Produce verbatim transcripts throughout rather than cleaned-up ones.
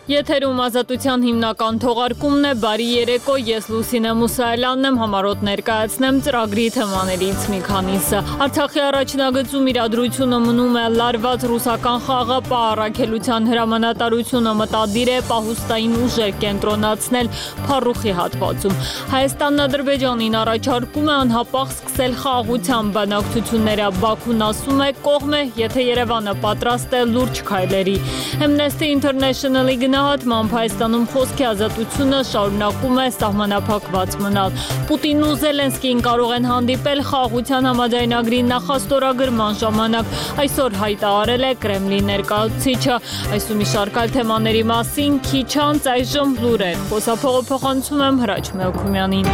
Եթերում ազատության հիմնական թողարկումն է, բարի երեկո, ես Լուսինե Մուսայելյանն եմ, համառոտ ներկայացնեմ ծրագրի թեմաներից մի քանիսը։ Արցախի առաջնագծում իրադրությունը մնում է լարված ռուսական խաղապահ առաքելության հրամանատարությունը մտադիր է պահուստային ուժեր կենտրոնացնել Փարուխի հատվածում։ Հայաստանն Ադրբեջանին առաջարկում է անհապաղ սկսել խաղաղության բանակցությունները, Բաքուն ասում է կողմ է, եթե Երևանը պատրաստ է լուրջ քայլերի։ Amnesty International-ի գնահատմամբ Հայաստանում խոսքի ազատությունը շարունակում է սահմանափակված մնալ։ Պուտինն ու Զելենսկին կարող են հանդիպել խաղաղության համաձայնագրի նախաստորագրման ժամանակ, այսօր հայտարարել է Կրեմլի ներկայացուցիչը։ Այս ու մի շարք այլ թեմաների մասին քիչ անց այժմ լուրեր։ Խոսափողը փոխանցում եմ Հրաչ Մելքումյանին։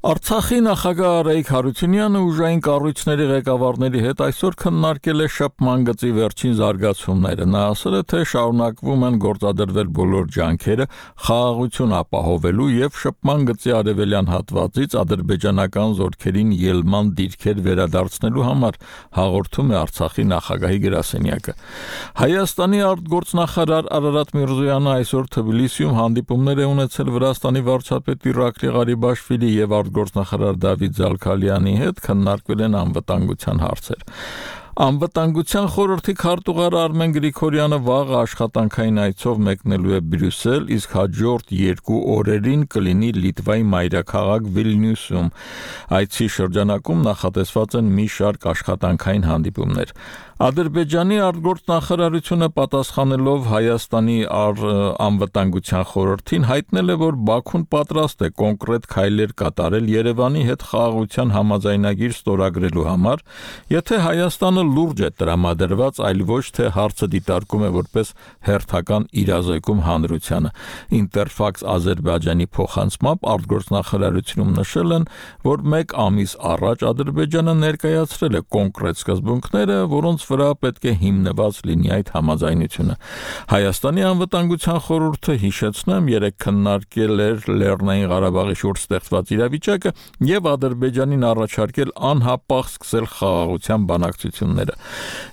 Արցախի նախագահ Արայիկ Հարությունյանը ուժային կառույցների ղեկավարների հետ այսօր քննարկել է շփման գծի վերջին զարգացումները։ Նա ասել է, թե շարունակվում են գործադրվել բոլոր ջանքերը խաղաղություն ապահովելու եւ շփման գծի արևելյան հատվածից ադրբեջանական զորքերին ելման դիրքեր վերադարձնելու համար, հաղորդում է Արցախի նախագահի գրասենյակը։ Հայաստանի արտգործնախարար Արարատ Միրզոյանը այսօր Թբիլիսիում հանդիպումներ է ունեցել Վրաստանի վարչապետ Իրակլի Ղարիբաշվիլի եւ Գործնախարար Դավիթ Զալքալյանի հետ քննարկվել են անվտանգության հարցեր։ Անվտանգության խորհրդի քարտուղար Արմեն Գրիգորյանը վաղը աշխատանքային այցով մեկնելու է Բրյուսել, իսկ հաջորդ երկու օրերին կլինի Լիտվայի մայրաքաղաք Վիլնյուսում։ Այցի շրջանակում նախատեսված են մի շարք աշխատանքային հանդիպումներ։ Ադրբեջանի արտգործնախարարությունը պատասխանելով Հայաստանի անվտանգության խորհրդին հայտնել է, որ Բաքուն պատրաստ է կոնկրետ քայլեր կատարել Երևանի հետ խաղաղության համաձայնագիր ստորագրելու համար, եթե Հայաստանը լուրջ է տրամադրված, այլ ոչ թե հարցը դիտարկում է որպես հերթական իրազեկում հանրությանը։ Ինտերֆաքս Ադրբեջանի փոխանցմամբ արտգործնախարարությունում նշել են, որ մեկ ամիս առաջ Ադրբեջանը ներկայացրել է կոնկրետ սկզբունքները, որոնց վրա պետք է հիմնված լինի այդ համաձայնությունը։ Հայաստանի անվտանգության խորհուրդը, հիշեցնեմ, երեկ քննարկել էր Լեռնային Ղարաբաղի շուրջ ստեղծված իրավիճակը եւ Ադրբեջանին առաջարկել անհապաղ սկսել խաղաղության բանակցությունները։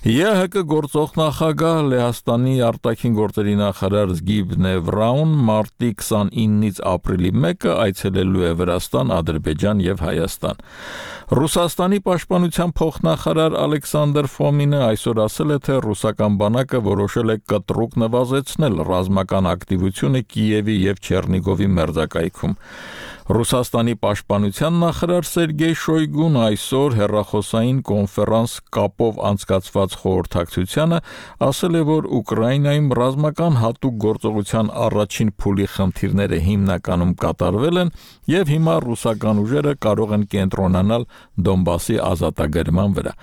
ԵՀԿ գործող նախագահ Լեհաստանի արտաքին գործերի նախարար Զգիբնե Վրաուն մարտի քսանինից ապրիլի մեկը այցելելու է Վրաստան, Ադրբեջան եւ Հայաստան։ Ռուսաստանի պաշտպանության փոխնախարար Ալեքսանդր Ֆոմինը այսօր ասել է, թե ռուսական բանակը որոշել է կտրուկ նվազեցնել ռազմական ակտիվությունը Կիևի եւ Չեռնիգովի մերձակայքում։ Ռուսաստանի պաշտպանության նախարար Սերգեյ Շոյգուն այսօր հեռախոսային կոնֆերանս կապով անցկացված խորհրդակցությանը ասել է, որ Ուկրաինայում ռազմական հատուկ գործողության առաջին փուլի խնդիրները հիմնականում կատարվել են եւ հիմա ռուսական ուժերը կարող են կենտրոնանալ Դոնբասի ազատագրման վրա։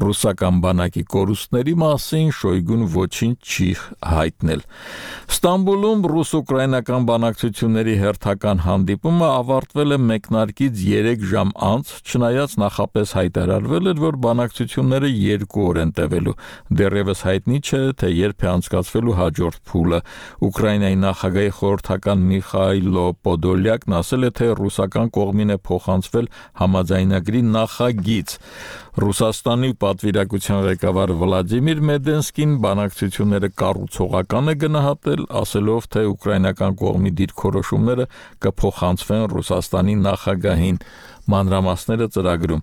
Ռուսական բանակի կորուստների մասին Շոյգուն ոչինչ չի հայտնել։ Ստամբուլում ռուս-ուկրաինական բանակցությունների հերթական հանդիպումը ավարտվել է մեկնարկից երեք ժամ անց, չնայած նախապես հայտարարվել էր, որ բանակցությունները երկու օր են տևելու։ Դեռևս հայտնի չէ, թե երբ է անցկացվելու հաջորդ փուլը։ Ուկրաինայի նախագահի խորհրդական Միխայլո Պոդոլյակն ասել է, թե ռուսական կողմին է փոխանցվել համաձայնագրի նախագիծ։ Ռուսաստանի պատվիրակության ղեկավար Վլադիմիր Մեդենսկին բանակցությունները կառուցողական է գնահատել, ասելով, թե ուկրաինական կողմի դիրքորոշումները կփոխանցվեն Ռուսաստանի նախագահին։ Մանրամասները ծրագրում։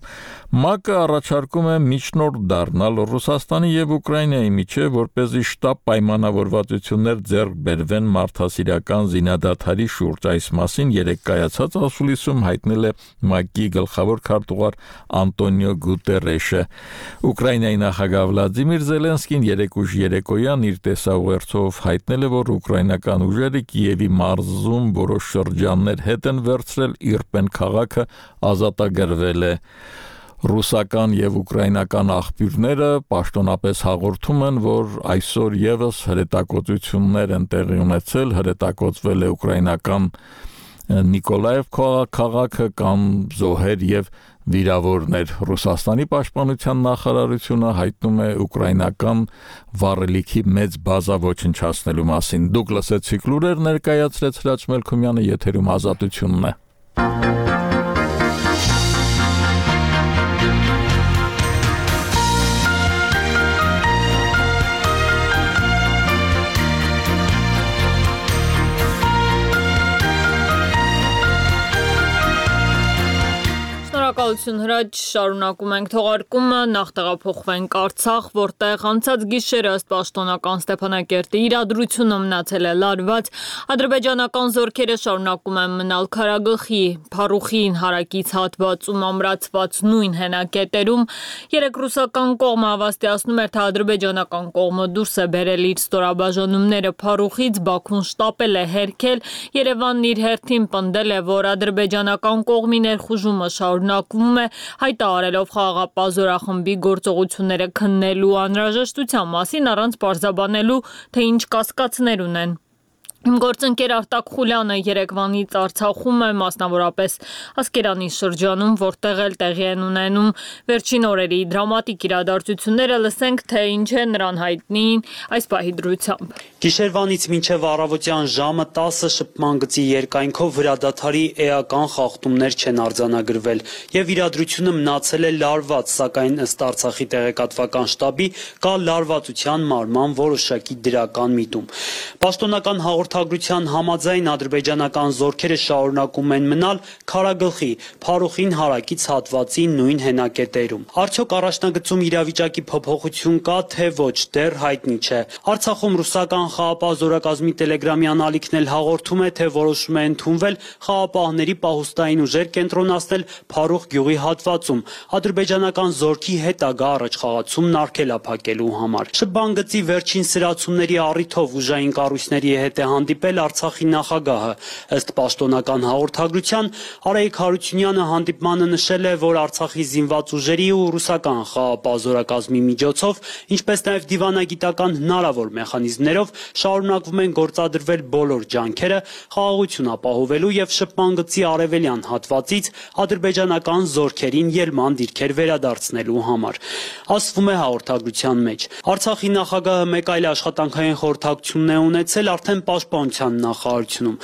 ՄԱԿ-ը առաջարկում է միջնորդ դառնալ Ռուսաստանի եւ Ուկրաինայի միջեւ, որպեսզի շտապ պայմանավորվածություններ ձեռք բերվեն մարդասիրական զինադադարի շուրջ։ Այս մասին երեկ կայացած ասուլիսում հայտնել է ՄԱԿ-ի գլխավոր քարտուղար Անտոնիո Գուտերեշը։ Ուկրաինայի նախագահ Վլադիմիր Զելենսկին երեկ ուշ երեկոյան իր տեսաուղերձով հայտնել է, որ ուկրաինական ուժերը Կիևի մարզում որոշ շրջաններ հետ են վերցրել, Իրպեն քաղաքը ազատագրվել է։ Ռուսական եւ ուկրաինական աղբյուրները պաշտոնապես հաղորդում են, որ այսօր եւս հրետակոծություններ են տեղի ունեցել, հրետակոծվել է ուկրաինական Նիկոլաև քաղաքը կամ զոհեր եւ վիրավորներ։ Ռուսաստանի պաշտպանության նախարարությունը հայտնում է ուկրաինական վառելիքի մեծ բազա ոչնչացնելու մասին։ Դուք լսեցիք լուրեր, ներկայացրեց Հրաչ Մելքումյանը, եթերում ազատությունն է։ Շնորհակալություն Հրաչ, շարունակում ենք թողարկումը, նախ տեղափոխվենք Արցախ, որտեղ անցած գիշերը ըստ պաշտոնական Ստեփանակերտի իրադրությունը մնացել է լարված, ադրբեջանական զորքերը շարունակում են մնալ Քարագլխի, Փարուխին հարակից հատվածում ամրացված նույն հենակետերում, երեք ռուսական կողմը հավաստիացնում էր, թե ադրբեջանական կողմը դուրս է բերել իր ստորաբաժանումները Փարուխից, Բաքուն շտապել է հերքել, Երևանն իր հերթին պնդել է, որ ադրբեջանական կողմի ներխուժումը շարունակվում է, հայտարարելով խաղաղապահ զորախմբի գործողությունները քննելու անհրաժեշտության մասին առանց պարզաբանելու, թե ինչ կասկածներ ունեն։ Իմ գործընկեր Արտակ Խուլյանը երեկվանից Արցախում է, մասնավորապես Ասկերանի շրջանում, որտեղ էլ տեղի են ունենում վերջին օրերի դրամատիկ իրադարձությունները, լսենք, թե ինչ է նրան հայտնի այս պահի դրությամբ։ Գիշերվանից մինչև առավոտյան ժամը տասը շփման գծի երկայնքով վրադադարի էական խախտումներ չեն արձանագրվել եւ իրադրությունը մնացել է լարված, սակայն ըստ Արցախի տեղեկատվական շտաբի կա լարվածության մարման որոշակի դրական միտում։ Պաշտոնական հաղորդագրության համաձայն ադրբեջանական զորքերը շարունակում են մնալ Քարագլխի, Փարուխին հարակից հատվածի նույն հենակետերում։ Արդյոք առաջնագծում իրավիճակի փոփոխություն կա, թե ոչ, դեռ հայտնի չէ։ Արցախում ռուսական խաղապահ զորակազմի տելեգրամյան ալիքն էլ հաղորդում է, թե որոշում է ընդունվել խաղապահների պահուստային ուժեր կենտրոնացնել Փարուխ գյուղի հատվածում, ադրբեջանական զորքի հետագա առաջխաղացումն արգելափակելու համար։ Շփման գծի վերջին սրացումների առիթով ուժային կառույցների հետ է հանդիպել Արցախի նախագահը։ Ըստ պաշտոնական հաղորդագրության, Արայիկ Հարությունյանը հանդիպմանը նշել է, որ Արցախի զինված ուժերի ու ռուսական խաղապահ զորակազմի միջոցով, ինչպես նաև դիվանագիտական հնարավոր մեխանիզմներով շարունակվում են գործադրվել բոլոր ջանքերը խաղաղություն ապահովելու եւ շփման գծի արևելյան հատվածից ադրբեջանական զորքերին ելման դիրքեր վերադարձնելու համար։ Ասվում է հաղորդագրության մեջ։ Արցախի նախագահը մեկ այլ աշխատանքային խորհրդակցություն է ունեցել արդեն պաշտպանության նախարարությունում։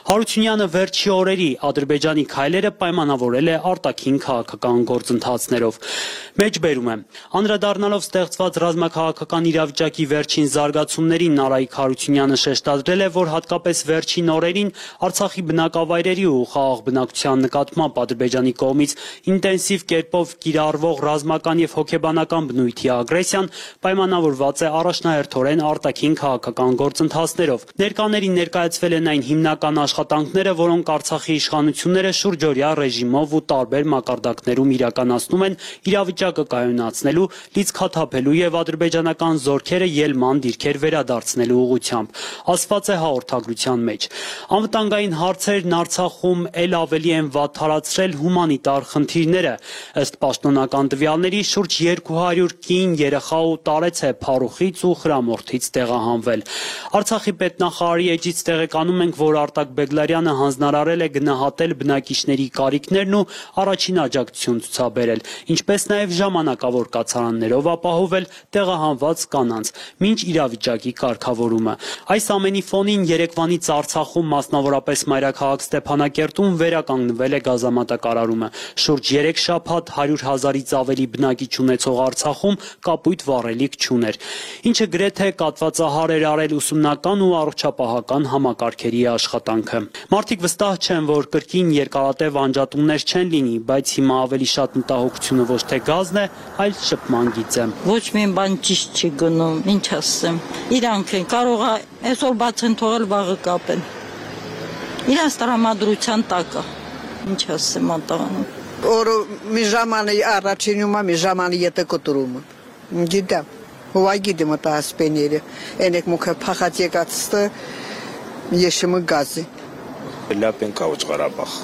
Հարությունյանը վերջի օրերի Ադրբեջանի քայլերը պայմանավորել է արտաքին քաղաքական գործընթացներով։ Մեջբերում է։ Անդրադառնալով ստեղծված ռազմաքաղաքական իրավիճակի վերջին զարգացումներին Արայիկ Հարությունյանը շեշտադրել է, որ հատկապես վերջին օրերին Արցախի բնակավայրերի ու խաղաղ բնակչության նկատմամբ Ադրբեջանի կողմից ինտենսիվ կերպով կիրառվող ռազմական եւ հոգեբանական բնույթի ագրեսիան պայմանավորված է առաջնահերթորեն արտաքին քաղաքական գործընթացներով։ Ներկաներին ներկայացվել են այն հիմնական աշխատանքները, որոնք Արցախի իշխանությունները շուրջօրյա ռեժիմով ու տարբեր մակարդակներում իրականացնում են իրավիճակը կայունացնելու, լիցքաթափելու եւ ադրբեջանական զորքերը ելման դիրքեր վերադարձնելու ուղղությամբ, ասված է հաղորդագրության մեջ։ Անվտանգային հարցերն Արցախում ել ավելի են վատթարացրել հումանիտար խնդիրները։ Ըստ պաշտոնական տվյալների շուրջ երկու հարյուր կին, երեխա ու տարեց է Փարուխից ու Խրամորթից տեղահանվել։ Արցախի պետնախարարի էջից տեղեկանում ենք, որ Արտակ Բեգլարյանը հանձնարարել է գնահատել բնակիչների կարիքներն ու առաջին աջակցություն ցուցաբերել, ինչպես նաև ժամանակավոր կացարաններով ապահովել տեղահանված կանանց, մինչ իրավիճակի կարգավորումը։ Այս ամենի ֆոնին երեկվանից Արցախում, մասնավորապես մայրաքաղաք Ստեփանակերտում վերականգնվել է գազամատակարարումը։ Շուրջ երեք շաբաթ հարյուր հազարից ավելի բնակիչ ունեցող Արցախում կապույտ վառելիք չուներ, ինչը գրեթե կատվածահար էր արել ուսումնական ու առողջապահական համակարգերի աշխատանքը։ Մարդիկ վստահ չեն, որ կրկին երկարատև անջատումներ չեն լինի, բայց հիմա ավելի շատ մտահոգությունը ոչ թե գազն է, այլ շփման գիծը։ Ոչ մի բան ճիշտ չի գնում, ինչ ասեմ։ Իրանք են կարող է այսօր բաց են թողել, վաղը կապեն։ Իրանց տրամադրության տակ է։ Ինչ ասեմ ատաղանում։ Օրը մի ժամանի առաջինում է, մի ժամանի ետը կտրումը։ Գիտեմ։ Ուղագիդեմ ատա ասպեները, ենեք մուքը պախած եկացստը եշիմը գազի։ Լապ են կավոչ Ղարաբաղ։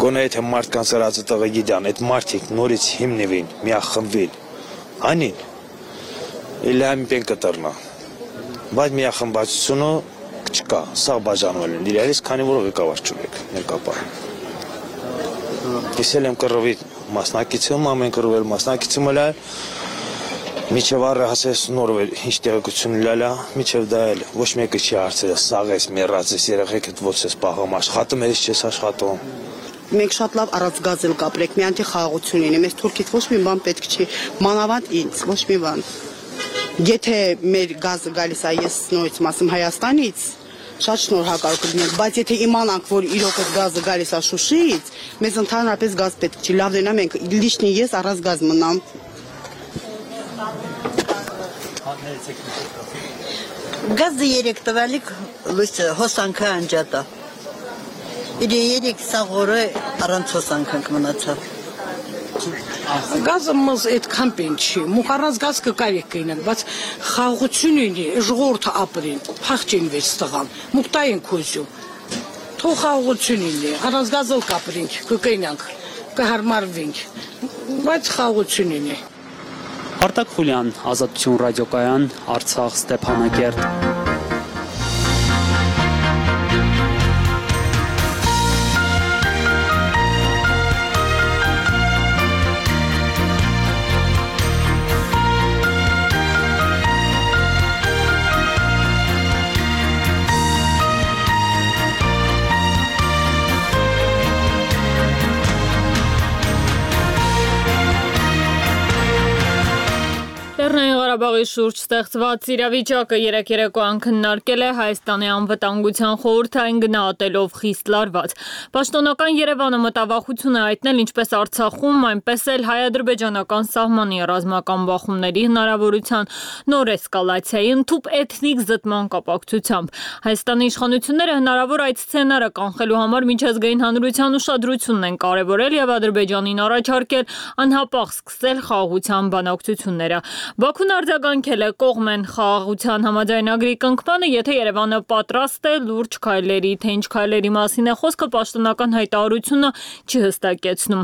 Գոնե եթե մարդկան սրացը տղը գիդան, այդ մարդիկ նորից հիմնվին, միախմվին, անին, իլի համի պեն կտրնա, բայց միախմբացությունը չկա, սաղ բաժանվել են, իրարից քանի որ ղեկավար չունեք, ներկապահ։ Ես էլ եմ կռվի մասնակիցում, ամեն կռվել մասնակիցում էլ այլ, Միջև առը հասես նորվել ինչ տեղեկություն լալա, միջև դա էլ ոչ մեկը չի հարցել, սաղ ես, մեռած ես, երեխեքդ ոց ես պահում, աշխատում ես չես աշխատում։ Մենք շատ լավ առանց գազ էլ կապրեք, մի անտի խաղաղություն լինի, մեզ թուրքից ոչ մի բան պետք չի, մանավանդ ինձ, ոչ մի բան։ Եթե մեր գազը գալիս է ես նորից մասում Հայաստանից, Շատ շնորհակալ կլինենք, բայց եթե իմանանք, որ իրոք այդ գազը գալիս է Շուշիից, մեզ ընդհանրապես գազ պետք չի, լավ դենա մենք լիշնի ես առանց գազ մնամ։ Գազը երեք տվալիք հոսանքը անջատա։ Իր երեք սաղորը առանց հոսանքանք մնացավ։ Գազը մզ այդքան պեն չի, մուք առանց գազ կկարիք կինեն, բայց խաղություն ունի, ժողորդը ապրին, փախչին վեց տղան, մուք տային կոզյում, թող խաղություն ունի, առանց գազով կապրինք, կկինանք, կհարմարվինք, բայց խաղություն ունի։ Արտակ Խուլյան, Ազատություն ռադիոկայան, Արցախ, Ստեփանակերտ։ Ղարաբաղի շուրջ ստեղծված իրավիճակը երեք երեկոյան քննարկել է Հայաստանի անվտանգության խորհուրդը այն գնահատելով խիստ լարված։ Պաշտոնական Երևանը մտավախություն է հայտնել ինչպես Արցախում, այնպես էլ հայ-ադրբեջանական սահմանի ռազմական բախումների հնարավորության նոր էսկալացիայի ընդհուպ էթնիկ զտման կապակցությամբ։ Հայաստանի իշխանությունները հնարավոր այդ սցենարը կանխելու համար միջազգային հանրության ուշադրությունն են կարևորել եւ Ադրբեջանին առաջարկել անհապաղ սկսել խաղաղության բանակցությունները։ Բաքուն արձագանքել է կողմեն խաղաղության համաձայնագրի կնքմանը, եթե Երևանը պատրաստ է լուրջ քայլերի, թե ինչ քայլերի մասին է խոսքը պաշտոնական հայտարարությունը չի հստակեցնում։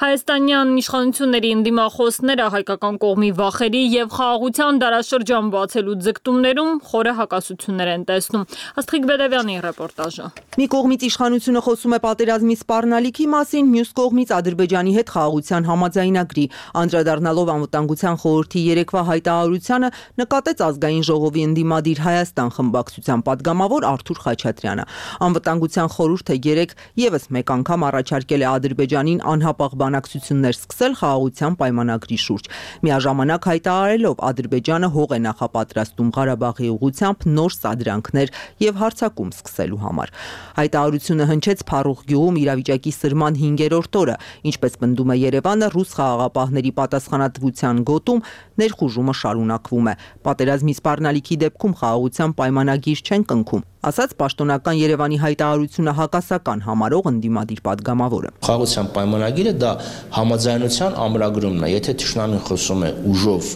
Հայաստանյան իշխանությունների ընդդիմախոսները հայկական կողմի վախերի եւ խաղաղության դարաշրջան բացելու ձգտումներում խորը հակասություններ են տեսնում։ Աստղիկ Բեդևյանի ռեպորտաժը։ Մի կողմից իշխանությունը խոսում է պատերազմի սպառնալիքի մասին, մյուս կողմից Ադրբեջանի հետ խաղաղության համաձայնագրի։ Անդրադառնալով անվտանգության խորհրդի երեկվա հայտարարությանը նկատեց ազգային ժողովի ընդդիմադիր Հայաստան խմբակցության падգամավոր Արթուր Խաչատրյանը։ Անվտանգության խորհուրդը երեկ եւս մեկ անգամ առաջարկել է Ադրբեջանին անհապաղ բանակցություններ սկսել խաղաղության պայմանագրի շուրջ։ Միաժամանակ հայտարարելով Ադրբեջանը հող է նախապատրաստում Ղարաբաղի ուղղությամբ նոր սադրանքներ եւ հարձակում սկսելու համար։ Հայտարարությունը հնչեց Փարուխ գյուղում իրավիճակի սրման հինգերորդ օրը, ինչպես պնդում է Երևանը, ռուս խաղաղապահների պատասխանատվության գոտում ներխուժումը շարունակվում է։ Պատերազմի սպառնալիքի դեպքում խաղաղության պայմանագիր չեն կնքում, ասաց պաշտոնական Երևանի հայտարարությունը հակասական համարող ընդդիմադիր падգամավորը։ Խաղաղության պայմանագիրը դա համաձայնության ամրագրումն է, եթե թշնամին խոսում է ուժով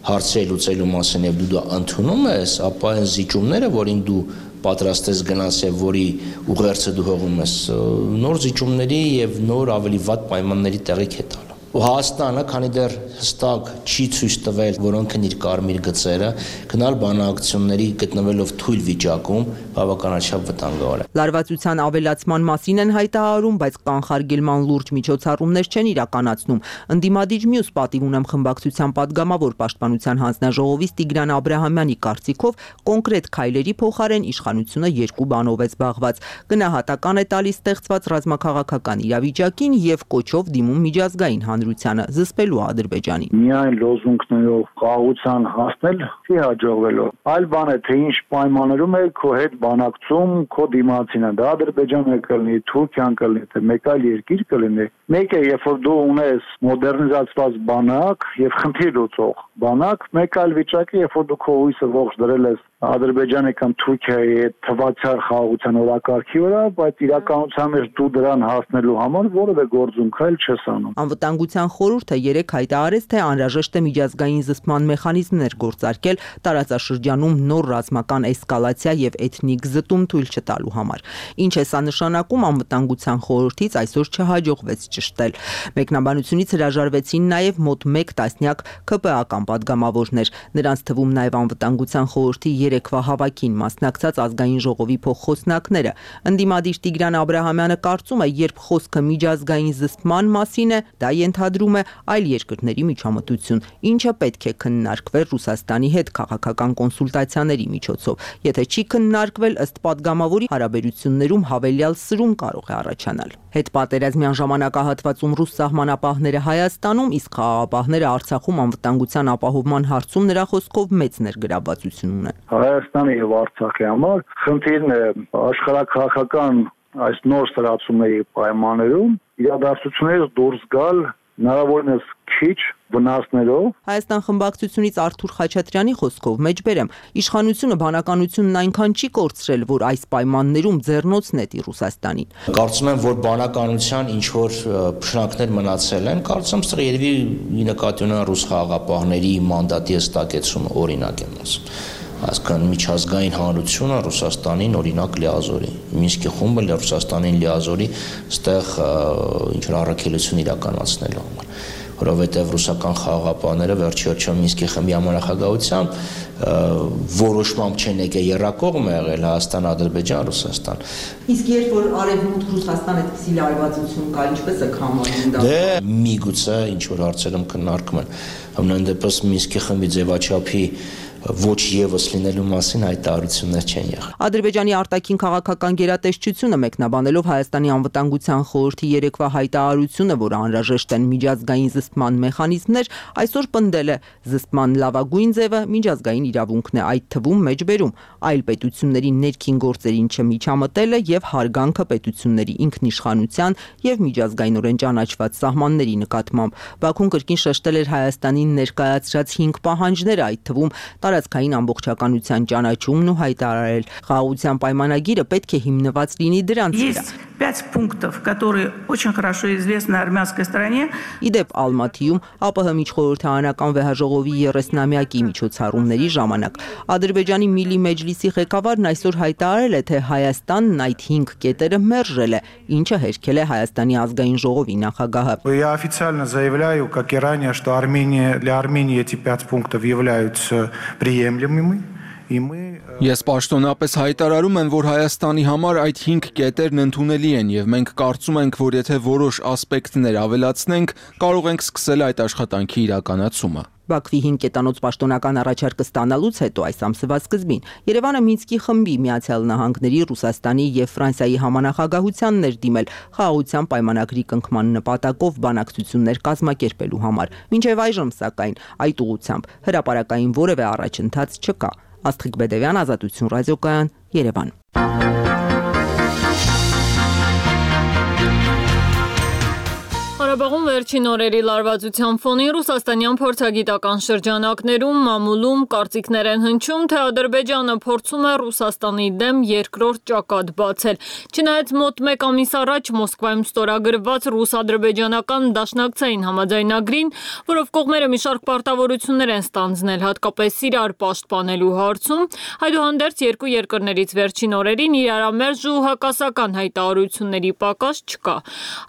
հարցեր լուծելու մասին եւ դու դա ընդունում ես, ապա այն զիջումները, որին դու պատրաստ ես գնաս եւ որի ուղերձը դու հողում ես, նոր զիջումների եւ նոր ավելի վատ պայմանների տեղիք է տալու։ Հայաստանը, քանի դեռ հստակ չի ցույց տվել, որոնք են իր կարմիր գծերը, գնալ բանակցությունների գտնվելով թույլ վիճակում բավականաչափ վտանգավոր է։ Լարվածության ավելացման մասին են հայտարարում, բայց կանխարգելման լուրջ միջոցառումներ չեն իրականացնում։ Ընդդիմադիր մյուս պատիվ ունեմ խմբակցության падգամավոր պաշտպանության հանձնաժողովից Տիգրան Աբրահամյանի կարծիքով կոնկրետ քայլերի փոխարեն իշխանությունը երկու բանով է զբաղված։ Գնահատական է տալիս ստեղծված ռազմաքաղաքական իրավիճակին եւ կոչով դիմում միջազգային հանրությանը զսպելու Ադրբեջանին։ Միայն լոզունգներով խաղաղության հասնել չի հաջողվելու։ Այլ բան է, թե ինչ պայմաններում է քո հետ բանակցում, քո դիմացինը, դա Ադրբեջանը կլինի, Թուրքիան կլինի, թե մեկ այլ երկիր կլինի։ Մեկ է, երբ որ դու ունես մոդեռնիզացված բանակ եւ խնդիր լուծող բանակ, մեկ այլ վիճակը, երբ որ դու քո հույսը ողջ դրել ես Ադրբեջանի կամ Թուրքիայի հետ թվացiar խաղաղության օրակարգի վրա, բայց իրականության մեջ դու դրան հասնելու համար որևէ գործում քայլ չես անում։ Անվտանգության խորհուրդը երեկ հայտարարեց, թե անհրաժեշտ է միջազգային զսպման մեխանիզմներ գործարկել տարածաշրջանում նոր ռազմական էսկալացիա եւ էթնիկ զտում թույլ չտալու համար։ Ինչ է սա նշանակում, անվտանգության խորհրդից այսօր չհաջողվեց ճշտել։ Մեկնաբանությունից հրաժարվեցին նաեւ մոտ մեկ տասնյակ ԿՊԱ-ական падգամավորներ։ Նրանց թվում նաեւ անվտանգության խորհրդի երեկվա հավաքին մասնակցած ազգային ժողովի փոխխոսնակները։ Ընդդիմադիր Տիգրան Աբրահամյանը կարծում է, երբ խոսքը միջազգային զսպման մասին է, դա ենթադրում է այլ երկրների միջամտություն, ինչը պետք է քննարկվել Ռուսաստանի հետ քաղաքական կոնսուլտացիաների միջոցով։ Եթե չի քննարկվել, ըստ падգամավորի, հարաբերություններում հավելյալ սրում կարող է առաջանալ։ Հետպատերազմյան ժամանակահատվածում ռուս սահմանապահները Հայաստանում, իսկ խաղաղապահները Արցախում անվտանգության ապահովման հարցում նրա խոսքով մեծ ներգրավվածություն ունեն։ Հայաստանի եւ Արցախի համար խնդիրն է աշխարհակաղակական այս նոր ստացումների պայմաններում իրադարձություններից դուրս գալ հնարավորինս քիչ վնասներով Հայաստան խմբակցությունից Արթուր Խաչատրյանի խոսքով մեջբերեմ իշխանությունը բանականությունն այնքան չի կորցրել, որ այս պայմաններում ձեռնոց նետի Ռուսաստանին։ Կարծում եմ, որ բանականության ինչ որ փշնակներ մնացել են, կարծում եմ, սա երևի նկատի ունեն ռուս խաղաղապահների մանդատի հստակեցումը, օրինակ եմ ասում։ Այսքան միջազգային հանրությունը Ռուսաստանին օրինակ լիազորի։ Մինսկի խումբը Ռուսաստանին լիազորի ստեղ ինչ որ առաքելություն իրականացնելու համար, որովհետև ռուսական խաղաղապահները վերջի վերջո Մինսկի խմբի համանախագահությամբ որոշմամբ չեն եկել երրակողմ եղել Հայաստան, Ադրբեջան, Ռուսաստան։ Իսկ երբ որ արևմուտք Ռուսաստան այդպիսի լարվածություն կա, ինչպես է համարում դա։ Դե միգուցե ինչ որ հարցերում քննարկում են։ Համենայն դեպս Մինսկի խմբի ձևաչափի ոչ եւս լինելու մասին հայտարարություններ չեն եղել։ Ադրբեջանի արտաքին քաղաքական գերատեսչությունը մեկնաբանելով Հայաստանի անվտանգության խորհրդի երեկվա հայտարարությունը, որ անհրաժեշտ են միջազգային զսպման մեխանիզմներ, այսօր պնդել է զսպման լավագույն ձևը միջազգային իրավունքն է, այդ թվում մեջբերում այլ պետությունների ներքին գործերին չմիջամտելը եւ հարգանքը պետությունների ինքնիշխանության եւ միջազգայինորեն ճանաչված սահմանների նկատմամբ։ Բաքուն կրկին շեշտել էր Հայաստանին ներկայացրած հինգ պահանջները, այդ թվում տարածքային ամբողջականության ճանաչումն ու հայտարարել խաղաղության պայմանագիրը պետք է հիմնված լինի դրանց վրա։ пять пунктов, которые очень хорошо известны армянской стороне. Իդեպ Ալմաթիում ԱՊՀ միջխորհրդարանական վեհաժողովի երեսնամյակի միջոցառումների ժամանակ Ադրբեջանի Միլի Մեջլիսի ղեկավարն այսօր հայտարարել է, թե Հայաստանն այդ հինգ կետերը մերժել է, ինչը հերքել է Հայաստանի ազգային ժողովի նախագահը։ Я официально заявляю, как и ранее, что Армения, для Армении эти пять пунктов являются приемлемыми. Ես պաշտոնապես հայտարարում եմ, որ Հայաստանի համար այդ հինգ կետերն ընդունելի են եւ մենք կարծում ենք, որ եթե որոշ ասպեկտներ ավելացնենք, կարող ենք սկսել այդ աշխատանքի իրականացումը։ Բաքվի հինգ կետանոց պաշտոնական առաջարկը ստանալուց հետո այս ամսվա սկզբին Երևանը Մինսկի խմբի, Միացյալ Նահանգների, Ռուսաստանի եւ Ֆրանսիայի համանախագահությանն էր դիմել խաղաղության պայմանագրի կնքման նպատակով բանակցություններ կազմակերպելու համար։ Մինչև այժմ, սակայն, այդ ուղղությամբ հրապարակային որևէ առաջընթաց չկա։ Աստղիկ Բեդևյան, Ազատություն ռադիոկայան, Երևան։ Ղարաբաղում վերջին օրերի լարվածության ֆոնին ռուսաստանյան փորձագիտական շրջանակներում մամուլում կարծիքներ են հնչում, թե Ադրբեջանը փորձում է Ռուսաստանի դեմ երկրորդ ճակատ բացել։ Չնայած մոտ մեկ ամիս առաջ Մոսկվայում ստորագրված ռուս-ադրբեջանական դաշնակցային համաձայնագրին, որով կողմերը մի շարք պարտավորություններ են ստանձնել, հատկապես իրար պաշտպանելու հարցում, այդուհանդերձ երկու երկրներից վերջին օրերին իրարամերժ ու հակասական հայտարարությունների պակաս չկա։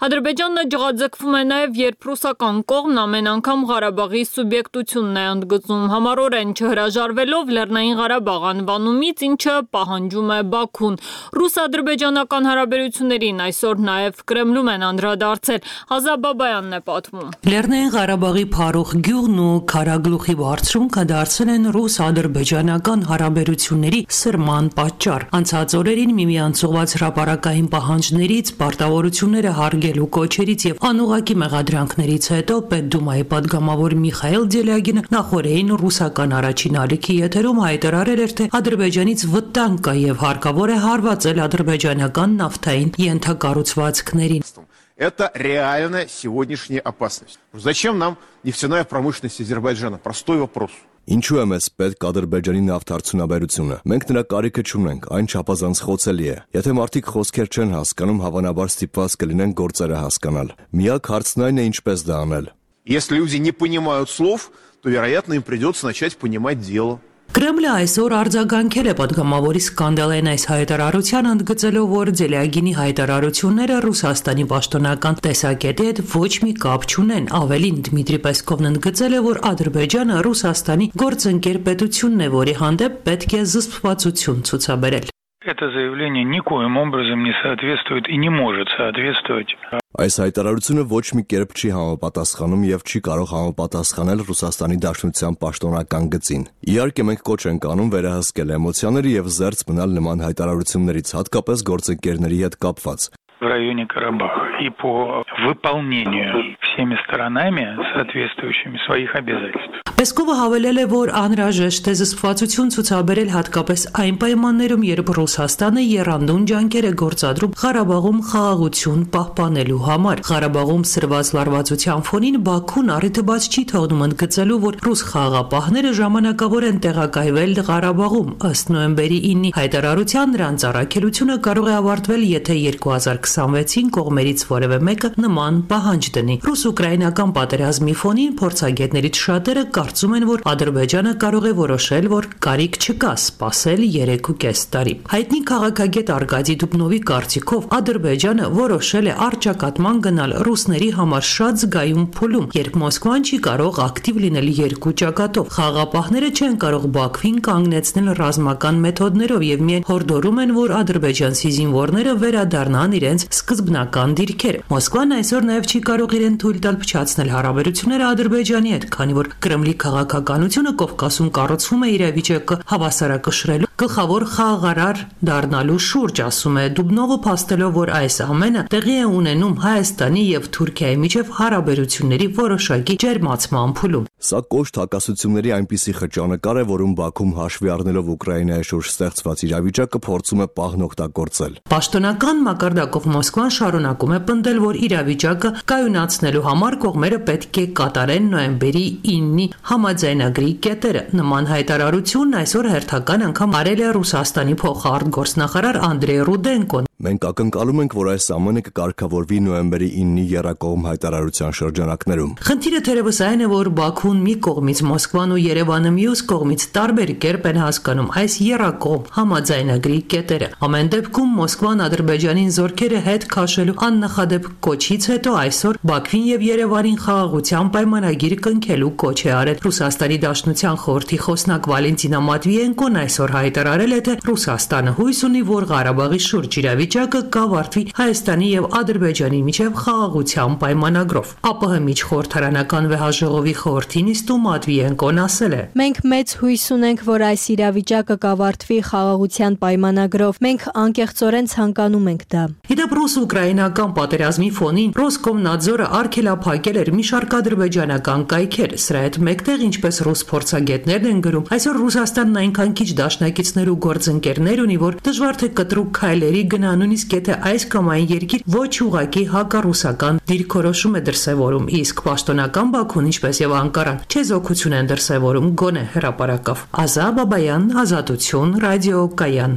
Ադրբեջանը ջղաձգվում է նաև, երբ ռուսական կողմն ամեն անգամ Ղարաբաղի սուբյեկտությունն է ընդգծում, համառորեն չհրաժարվելով Լեռնային Ղարաբաղ անվանումից, ինչը պահանջում է Բաքուն։ Ռուս-ադրբեջանական հարաբերություններին այսօր նաև Կրեմլում են անդրադարձել։ Հազա Բաբայանն է պատմում։ Լեռնային Ղարաբաղի Փարուխ գյուղն ու Քարագլուխի բարձրունքը դարձել են ռուս-ադրբեջանական հարաբերությունների սրման պատճառ։ Անցած օրերին միմյանց ուղղված հրապարակային պահանջներից, պարտավորությունները հարգելու կոչերից եւ անուղղակի մեղադրանքներից հետո Պետդումայի падգամավոր Միխայել Դելյագինը նախորդին ռուսական առաջին ալիքի եթերում հայտարարել էր, թե Ադրբեջանից վտանգ կա եւ հարկավոր է հարվածել ադրբեջանական նավթային ենթակառուցվածքներին։ Это реальная сегодняшняя опасность. Зачем нам нефтяная промышленность Азербайджана? Простой вопрос. Ինչու է մեզ պետք Ադրբեջանի նավթարդյունաբերությունը։ Մենք նրա կարիքը չունենք, այն չափազանց խոցելի է։ Եթե մարդիկ խոսքեր չեն հասկանում, հավանաբար ստիպված կլինեն գործերը հասկանալ։ Միակ հարցն այն է, ինչպես դա անել։ Если люди не понимают слов, то, вероятно, им придется начать понимать дело. Կրեմլը այսօր արձագանքել է падգամավորի սկանդալային այս հայտարարության, ընդգծելով, որ Դելյագինի հայտարարությունները Ռուսաստանի պաշտոնական տեսակետի հետ ոչ մի կապ չունեն։ Ավելին, Դմիտրի Պեսկովն ընդգծել է, որ Ադրբեջանը Ռուսաստանի գործընկեր պետությունն է, որի հանդեպ պետք է զսպվածություն ցուցաբերել։ Это заявление никоим образом не соответствует и не может соответствовать. Այս հայտարարությունը ոչ մի կերպ չի համապատասխանում եւ չի կարող համապատասխանել Ռուսաստանի Դաշնության պաշտոնական գծին։ Իհարկե մենք կոչ ենք անում վերահսկել էմոցիաները եւ զերծ մնալ նման հայտարարություններից, հատկապես գործընկերների հետ կապված։ В районе Карабаха и по выполнению всеми сторонами соответствующими своих обязательств. Պեսկովը հավելել է, որ անհրաժեշտ է զսպվածություն ցուցաբերել հատկապես այն պայմաններում, երբ Ռուսաստանը եռանդուն ջանքեր է գործադրում Ղարաբաղում խաղաղություն պահպանելու համար։ Ղարաբաղում սրված լարվածության ֆոնին Բաքուն առիթը բաց չի թողնում ընդգծելու, որ ռուս խաղաղապահները ժամանակավոր են տեղակայվել Ղարաբաղում։ Ըստ նոյեմբերի ինի հայտարարության նրանց առաքելությունը կարող է ավարտվել, եթե երկու հազար քսանվեցին կողմերից որևէ մեկը նման պահանջ դնի։ Ռուս-ուկրաինական պատերազմի ֆոնին փորձագետներից շատերը կարծում են, որ Ադրբեջանը կարող է որոշել, որ կարիք չկա սպասել երեք ու կես տարի։ Հայտնի քաղաքագետ Արգադի Դուբնովի կարծիքով Ադրբեջանը որոշել է առճակատման գնալ ռուսների համար շատ զգայուն փուլում, երբ Մոսկվան չի կարող ակտիվ լինել երկու ճակատով։ Խաղաղապահները չեն կարող Բաքվին կանգնեցնել ռազմական մեթոդներով եւ միայն հորդորում են, որ ադրբեջանցի զինվորները վերադառնան իրենց սկզբնական դիրքեր։ Մոսկվան այսօր նաեւ չի կարող իրեն թույլ տալ փչացնել հարաբերությունները Ադրբեջանի հետ, քանի որ Կրեմլի քաղաքականությունը Կովկասում կառուցվում է իրավիճակը հավասարակշռելու գլխավոր խաղաղարար դառնալու շուրջ, ասում է Դուբնովը, փաստելով, որ այս ամենը տեղի է ունենում Հայաստանի եւ Թուրքիայի միջև հարաբերությունների որոշակի ջերմացման փուլում։ Սա կոշտ հակասությունների այնպիսի խճանկար է, որում Բաքուն հաշվի առնելով Ուկրաինայի շուրջ ստեղծված իրավիճակը փորձում է պահն օգտագործել։ Պաշտոնական մակարդակով Մոսկվան շարունակում է պնդել, որ իրավիճակը կայունացնելու համար կողմերը պետք է կատարեն նոյեմբերի ինի համաձայնագրի կետերը։ Նման հայտարարությունն այսօր հերթական անգամ արել է Ռուսաստանի փոխարտգործնախարար Անդրեյ Ռուդենկոն։ Մենք ակնկալում ենք, որ այս ամենը կկարգավորվի նոյեմբերի ինի եռակողմ հայտարարության շրջանակներում։ Խնդիրը թերևս այն է, որ Բաքուն մի կողմից, Մոսկվան ու Երևանը մյուս կողմից տարբեր կերպ են հասկանում այս եռակողմ համաձայնագրի կետերը։ Ամեն դեպքում Մոսկվան Ադրբեջանին զորքերը հետ քաշելու աննախադեպ կոչից հետո այսօր Բաքվին եւ Երևանին խաղաղության պայմանագիր կնքելու կոչ է արել։ Ռուսաստանի Դաշնության խորհրդի խոսնակ Վալենտինա Մատվիենկոն այսօր հայտարարել է, թե Ռուսաստանը հույս ունի, որ Ղարաբաղի շուրջ իրավիճակը կավարտվի Հայաստանի եւ Ադրբեջանի միջև խաղաղության պայմանագրով։ ԱՊՀ միջխորհրդարանական վեհաժողովի խորհրդի նիստում Մատվիենկոն ասել է. Մենք մեծ հույս ունենք, որ այս իրավիճակը կավարտվի խաղաղության պայմանագրով։ Մենք անկեղծորեն ցանկանում ենք դա։ Իդեպ ռուս-ուկրաինական պատերազմի ֆոնին Ռոսկոմնadzորը արգելափակել էր մի շարք ադրբեջանական կայքեր։ Սրա հետ մեկտեղ, ինչպես ռուս փորձագետներն են գրում, այսօր Ռուսաստանն այնքան քիչ դաշնակիցներ ու գործընկերներ ունի, որ դժվար թե կտրուկ քայլերի գնա, նույնիսկ եթե այս կամ այն երկիր ոչ ուղղակի հակառուսական դիրքորոշում է դրսևորում, իսկ պաշտոնական Բաքուն, ինչպես եւ Անկարան, չեզոքություն են դրսևորում գոնե հրապարակավ։ Ազա Բաբայան, Ազատություն, Ռադիո Կայան։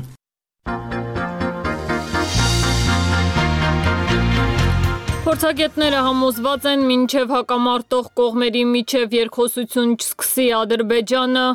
Փորձագետները համոզված են, մինչև հակամարտող կողմերի միջև երկխոսություն չսկսի Ադրբեջանը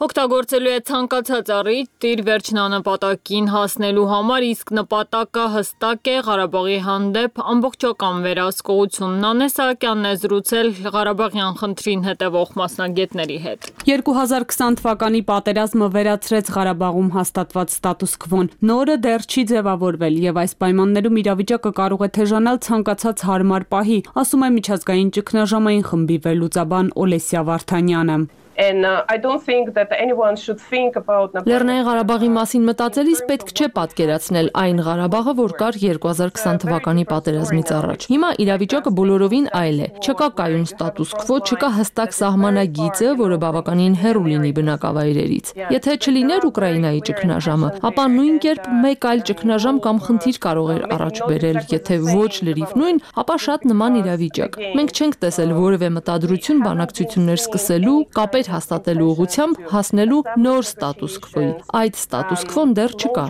օգտագործելու է ցանկացած առիթ իր վերջնանպատակին հասնելու համար, իսկ նպատակը հստակ է Ղարաբաղի հանդեպ ամբողջական վերահսկողություն։ Նանե Սահակյանն է զրուցել Ղարաբաղյան խնդրին հետևող մասնագետների հետ։ երկու հազար քսան թվականի պատերազմը վերացրեց Ղարաբաղում հաստատված ստատուս քվոն։ Նորը դեռ չի ձևավորվել եւ այս պայմաններում իրավիճակը կարող է թեժանալ ցանկացած հարմար պահի, ասում է միջազգային ճգնաժամային խմբի վերլուծաբան Օլեսիա Վարդանյանը։ And uh, I don't think that anyone should think about Լեռնային Ղարաբաղի մասին մտածելիս պետք չէ պատկերացնել այն Ղարաբաղը, որ կար երկու հազար քսան թվականի պատերազմից առաջ։ Հիմա իրավիճակը բոլորովին այլ է։ Չկա կայուն ստատուս քվո, չկա հստակ սահմանագիծը, որը բավականին հեռու լինի բնակավայրերից։ Եթե չլիներ Ուկրաինայի ճգնաժամը, ապա նույն կերպ մեկ այլ ճգնաժամ կամ խնդիր կարող էր առաջ բերել, եթե ոչ լրիվ նույն, ապա շատ նման իրավիճակ։ Մենք չենք տեսել որևէ մտադրություն բանակցություններ սկսելու, կապեր հաստատելու ուղղությամբ հասնելու նոր ստատուս քվոյի։ Այդ ստատուս քվոն դեռ չկա։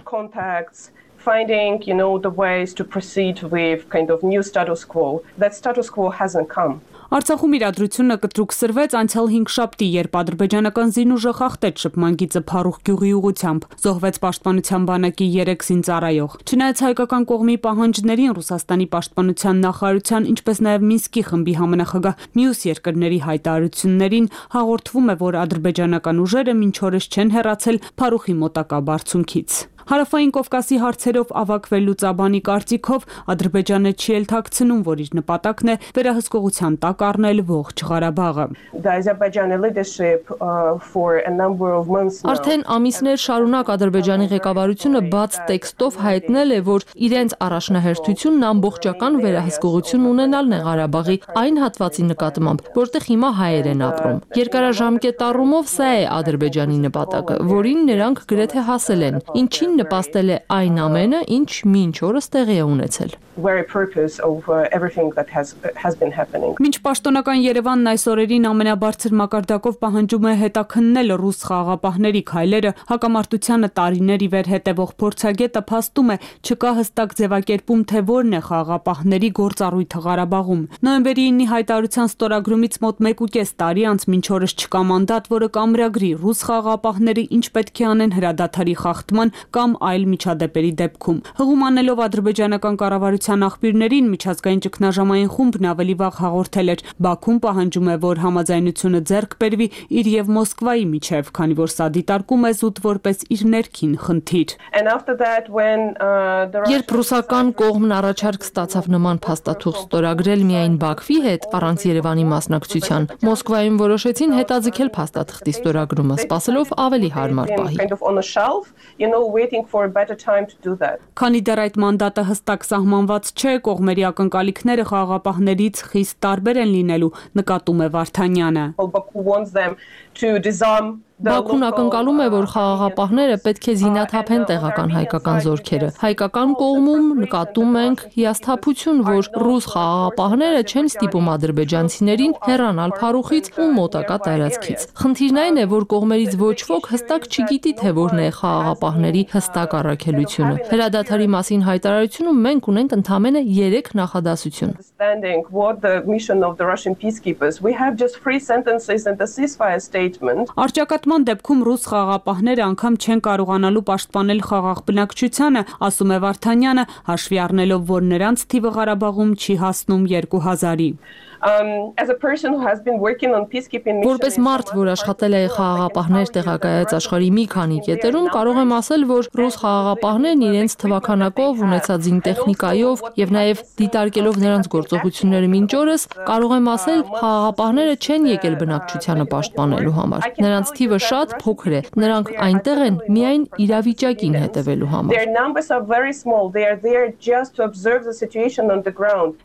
Finding, you know, the ways to proceed with kind of new status quo. That status quo hasn't come. Արցախում իրադրությունը կտրուկ սրվեց անցյալ հինգշաբթի, երբ ադրբեջանական զինուժը խախտեց շփման գիծը Փարուխ գյուղի ուղղությամբ, զոհվեց պաշտպանության բանակի երեք զինծառայող։ Չնայած հայկական կողմի պահանջներին, Ռուսաստանի պաշտպանության նախարարության, ինչպես նաև Մինսկի խմբի համանախագահ մյուս երկրների հայտարարություններին, հաղորդվում է, որ ադրբեջանական ուժերը մինչ օրս չեն հեռացել Փարուխի մոտակա բարձունքից։ Հարավային Կովկասի հարցերով ավագ Լուծաբանի կարծիքով Ադրբեջանը չի էլ թաքցնում, որ իր նպատակն է վերահսկողության տակ առնել ողջ Ղարաբաղը։ Արդեն ամիսներ շարունակ Ադրբեջանի ղեկավարությունը բաց տեքստով հայտնել է, որ իրենց առաջնահերթությունն ամբողջական վերահսկողություն ունենալն է Ղարաբաղի այն հատվածի նկատմամբ, որտեղ հիմա հայեր են ապրում։ Երկարաժամկետ առումով սա է Ադրբեջանի նպատակը, որին նրանք գրեթե հասել են, ինչին նպաստել է այն ամենը, ինչ մինչ օրս տեղի է ունեցել։ Մինչ պաշտոնական Երևանն այս օրերին ամենաբարձր մակարդակով պահանջում է հետաքննել ռուս խաղաղապահների քայլերը, հակամարտությանը տարիներ ի վեր հետևող փորձագետը փաստում է չկա հստակ ձևակերպում, թե որն է խաղաղապահների գործառույթը Ղարաբաղում։ Նոյեմբերի իննի հայտարարության ստորագրումից մոտ մեկ ու կես տարի անց մինչ օրս չկա մանդատ, որը կամրագրի ռուս խաղաղապահները ինչ պետք է անեն հրադադարի խախտման կամ այլ միջադեպերի դեպքում։ Հղում անելով ադրբեջանական կառավարության աղբյուրներին միջազգային ճգնաժամային խումբն ավելի վաղ հաղորդել էր. Բաքուն պահանջում է, որ համաձայնությունը ձեռք բերվի իր եւ Մոսկվայի միջև, քանի որ սա դիտարկում է զուտ որպես իր ներքին խնդիր։ Երբ ռուսական կողմն առաջարկ ստացավ նման փաստաթուղթ ստորագրել միայն Բաքվի հետ առանց Երևանի մասնակցության, Մոսկվայում որոշեցին հետաձգել փաստաթղթի ստորագրումը, սպասելով ավելի հարմար պահի։ Քանի դեռ այդ մանդատը հստակ սահմանված չէ, կողմերի ակնկալիքները խաղաղապահներից խիստ տարբեր են լինելու, նկատում է Վարդանյանը։ Բաքուն ակնկալում է, որ խաղաղապահները պետք է զինաթափեն տեղական հայկական զորքերը։ Հայկական կողմում նկատում ենք հիասթափություն, որ ռուս խաղաղապահները չեն ստիպում ադրբեջանցիներին հեռանալ Փարուխից ու մոտակա տարածքից։ Խնդիրն այն է, որ կողմերից ոչ ոք հստակ չգիտի, թե որն է խաղաղապահների հստակ առաքելությունը։ Հրադադարի մասին հայտարարությունում մենք ունենք ընդամենը երեք նախադասություն։ Առճակատման դեպքում ռուս խաղաղապահները անգամ չեն կարողանալու պաշտպանել խաղաղ բնակչությանը, ասում է Վարդանյանը, հաշվի առնելով, որ նրանց թիվը Ղարաբաղում չի հասնում երկու հազարի։ Որպես մարդ, որ աշխատել է խաղաղապահներ տեղակայած աշխարհի մի քանի կետերում, կարող եմ ասել, որ ռուս խաղաղապահներն իրենց թվաքանակով, ունեցած զինտեխնիկայով եւ նաեւ դիտարկելով նրանց գործողությունները մինչ օրս, կարող եմ ասել, խաղաղապահները չեն եկել բնակչությանը պաշտպանելու համար։ Նրանց թիվը շատ փոքր է։ Նրանք այնտեղ են միայն իրավիճակին հետևելու համար։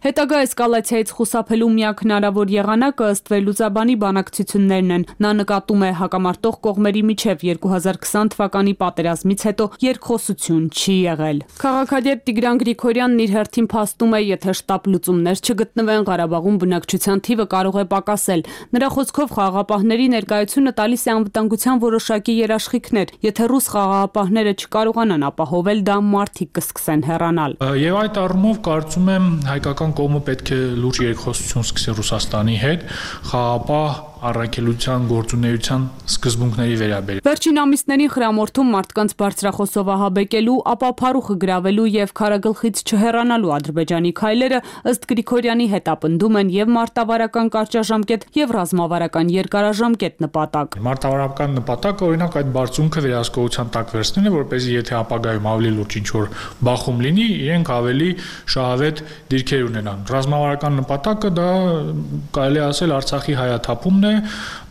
Հետագա էսկալացիայից խուսափելու միակ հնարավոր եղանակը ըստ Լուծաբանի բանակցություններն են։ Նա նկատում է հակամարտող կողմերի միջև երկու հազար քսան թվականի պատերազմից հետո երկխոսություն չի եղել։ Քաղաքագետ Տիգրան Գրիգորյանն իր հերթին փաստում է, եթե շտապ լուծումներ չգտնվեն, Ղարաբաղում բնակչության թիվը կարող է պակասել։ Նրա խոսքով խաղաղապահների ներկայությունը տալիս է անվտանգության որոշակի երաշխիքներ։ Եթե ռուս խաղաղապահները չկարողանան ապահովել դա, մարդիկ կսկսեն հեռանալ։ Եվ այդ առումով կարծում եմ հայկական կողմը պետք է լուրջ երկխոսություն սկսի Ռուսաստանի հետ խաղաղապահ առաքելության գործունեության սկզբունքների վերաբերյալ։ Վերջին ամիսներին խրամորթում մարդկանց բարձրախոսով ահաբեկելու, ապա Փարուխը գրավելու եւ քարագլխից չհեռանալու Ադրբեջանի քայլերը ըստ Գրիգորյանի հետապնդում են եւ մարտավարական կարճաժամկետ եւ ռազմավարական երկարաժամկետ նպատակ։ Մարտավարական նպատակը օրինակ այդ բարձունքը վերահսկողության տակ վերցնելն է, որպեսզի եթե ապագայում ավելի լուրջ ինչ-որ բախում լինի, իրենք ավելի շահավետ դիրքեր ունենան։ Ռազմավարական նպատակը դա կարելի ասել Արցախի հայաթափումն է,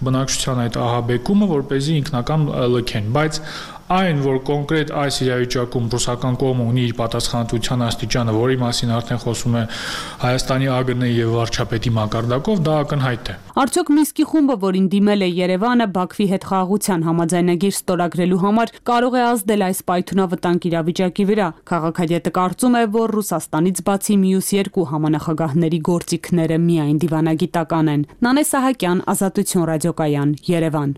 բնակչության այդ ահաբեկումը, որպեսզի ինքնական լքեն, բայց այն, որ կոնկրետ այս իրավիճակում ռուսական կողմը ունի իր պատասխանատվության աստիճանը, որի մասին արդեն խոսում է Հայաստանի ԱԳՆ-ի եւ վարչապետի մակարդակով, դա ակնհայտ է։ Արդյոք Մինսկի խումբը, որին դիմել է Երևանը Բաքվի հետ խաղաղության համաձայնագիր ստորագրելու համար, կարող է ազդել այս պայթունավտանգ իրավիճակի վրա։ Քաղաքագետը կարծում է, որ Ռուսաստանից բացի մյուս երկու համանախագահների գործիքները միայն դիվանագիտական են։ Նանե Սահակյան, Ազատություն ռադիոկայան, Երևան։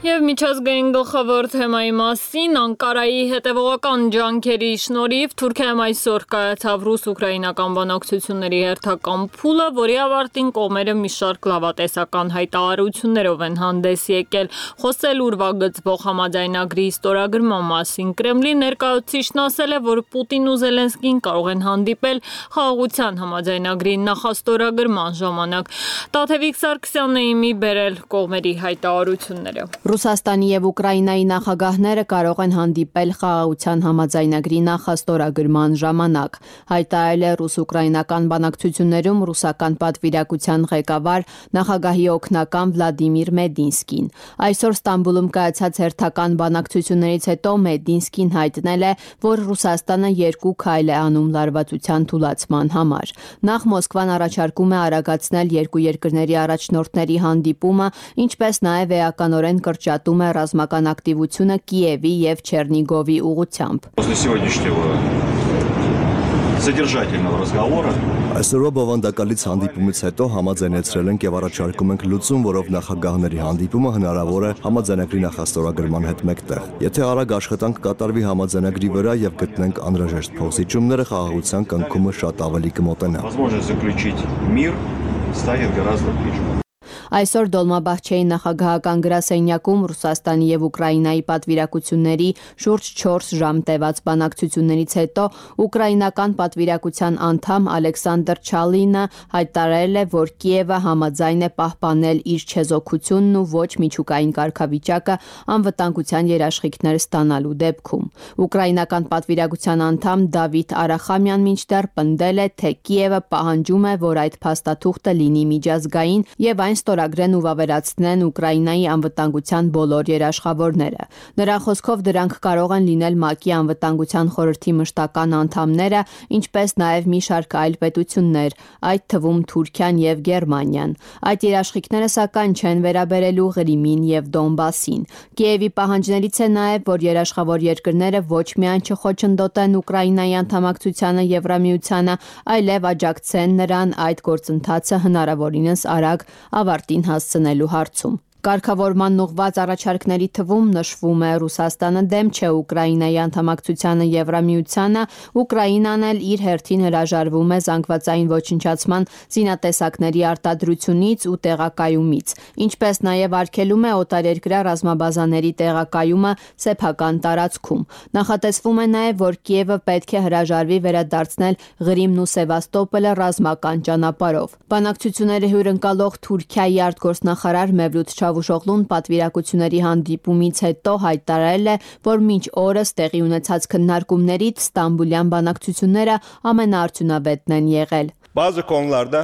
Եվ միջազգային գլխավոր թեմայի մասին Անկարայի հետևողական ջանքերի շնորհիվ Թուրքիայում այսօր կայացավ ռուս-ուկրաինական բանակցությունների հերթական փուլը, որի ավարտին կողմերը մի շարք լավատեսական հայտարարություններով են հանդես եկել։ Խոսել ուրվագծվող համաձայնագրի ստորագրման մասին Կրեմլի ներկայացուցիչն ասել է, որ Պուտինն ու Զելենսկին կարող են հանդիպել խաղաղության համաձայնագրի նախաստորագրման ժամանակ։ Տաթևիկ Սարգսյանն է իմի բերել կողմերի հայտարարությունները։ Ռուսաստանի եւ Ուկրաինայի նախագահները կարող են հանդիպել խաղաղության համաձայնագրի նախաստորագրման ժամանակ, հայտարարել է ռուս-ուկրաինական բանակցություններում ռուսական պատվիրակության ղեկավար նախագահի օգնական Վլադիմիր Մեդինսկին։ Այսօր Ստամբուլում կայացած հերթական բանակցություններից հետո Մեդինսկին հայտնել է, որ Ռուսաստանը երկու քայլ է անում լարվածության թուլացման համար։ Նախ Մոսկվան առաջարկում է արագացնել երկու երկրների առաջնորդների հանդիպումը, ինչպես նաև էականորեն կրճատում է ռազմական ակտիվությունը Կիևի եւ Չերնիգովի ուղղությամբ։ Այսօրվա բովանդակալից հանդիպումից հետո համաձայնեցրել ենք եւ առաջարկում ենք լուծում, որով նախագահների հանդիպումը հնարավոր է համաձայնագրի նախաստորագրման հետ մեկտեղ։ Եթե արագ աշխատանք կատարվի համաձայնագրի վրա եւ գտնենք անհրաժեշտ փոխզիջումները, խաղաղության կնքումը շատ ավելի կմոտենա։ Այսօր Դոլմաբահչեի նախագահական գրասենյակում Ռուսաստանի եւ Ուկրաինայի պատվիրակությունների շուրջ չորս ժամ տևած բանակցություններից հետո ուկրաինական պատվիրակության անդամ Ալեքսանդր Չալինը հայտարարել է, որ Կիևը համաձայն է պահպանել իր չեզոքությունն ու ոչ միջուկային կարգավիճակը անվտանգության երաշխիքներ ստանալու դեպքում։ Ուկրաինական պատվիրակության անդամ Դավիթ Արախամյան մինչդեռ պնդել է, թե Կիևը պահանջում է, որ այդ փաստաթուղթը լինի միջազգային եւ այն ստորագրեն ու վավերացնեն Ուկրաինայի անվտանգության բոլոր երաշխավորները։ Նրա խոսքով դրանք կարող են լինել ՄԱԿ-ի անվտանգության խորհրդի մշտական անդամները, ինչպես նաև մի շարք այլ պետություններ, այդ թվում Թուրքիան եւ Գերմանիան։ Այդ երաշխիքները սակայն չեն վերաբերելու Ղրիմին եւ Դոնբասին։ Կիևի պահանջներից է նաև, որ երաշխավոր երկրները ոչ միայն չխոչընդոտեն Ուկրաինայի անդամակցությանը Եվրամիությանը, այլև աջակցեն նրան այդ գործընթացը հնարավորինս արագ ավարտին հասցնելու հարցում։ Կարգավորման ուղղված առաջարկների թվում նշվում է Ռուսաստանը դեմ չէ Ուկրաինայի անդամակցությանը Եվրամիությանը, Ուկրաինան էլ իր հերթին հրաժարվում է զանգվածային ոչնչացման զինատեսակների արտադրությունից ու տեղակայումից, ինչպես նաև արգելում է օտարերկրյա ռազմաբազաների տեղակայումը սեփական տարածքում։ Նախատեսվում է նաև, որ Կիևը պետք է հրաժարվի վերադարձնել Ղրիմն ու Սևաստոպոլը ռազմական ճանապարհով։ Բանակցությունները հյուրընկալող Թուրքիայի արտգործնախարար Մևլութ Չավուշօղլուն պատվիրակությունների հանդիպումից հետո հայտարարել է, որ մինչ օրս տեղի ունեցած քննարկումներից Ստամբուլյան բանակցությունները ամենաարդյունավետն են եղել։ Bazı konularda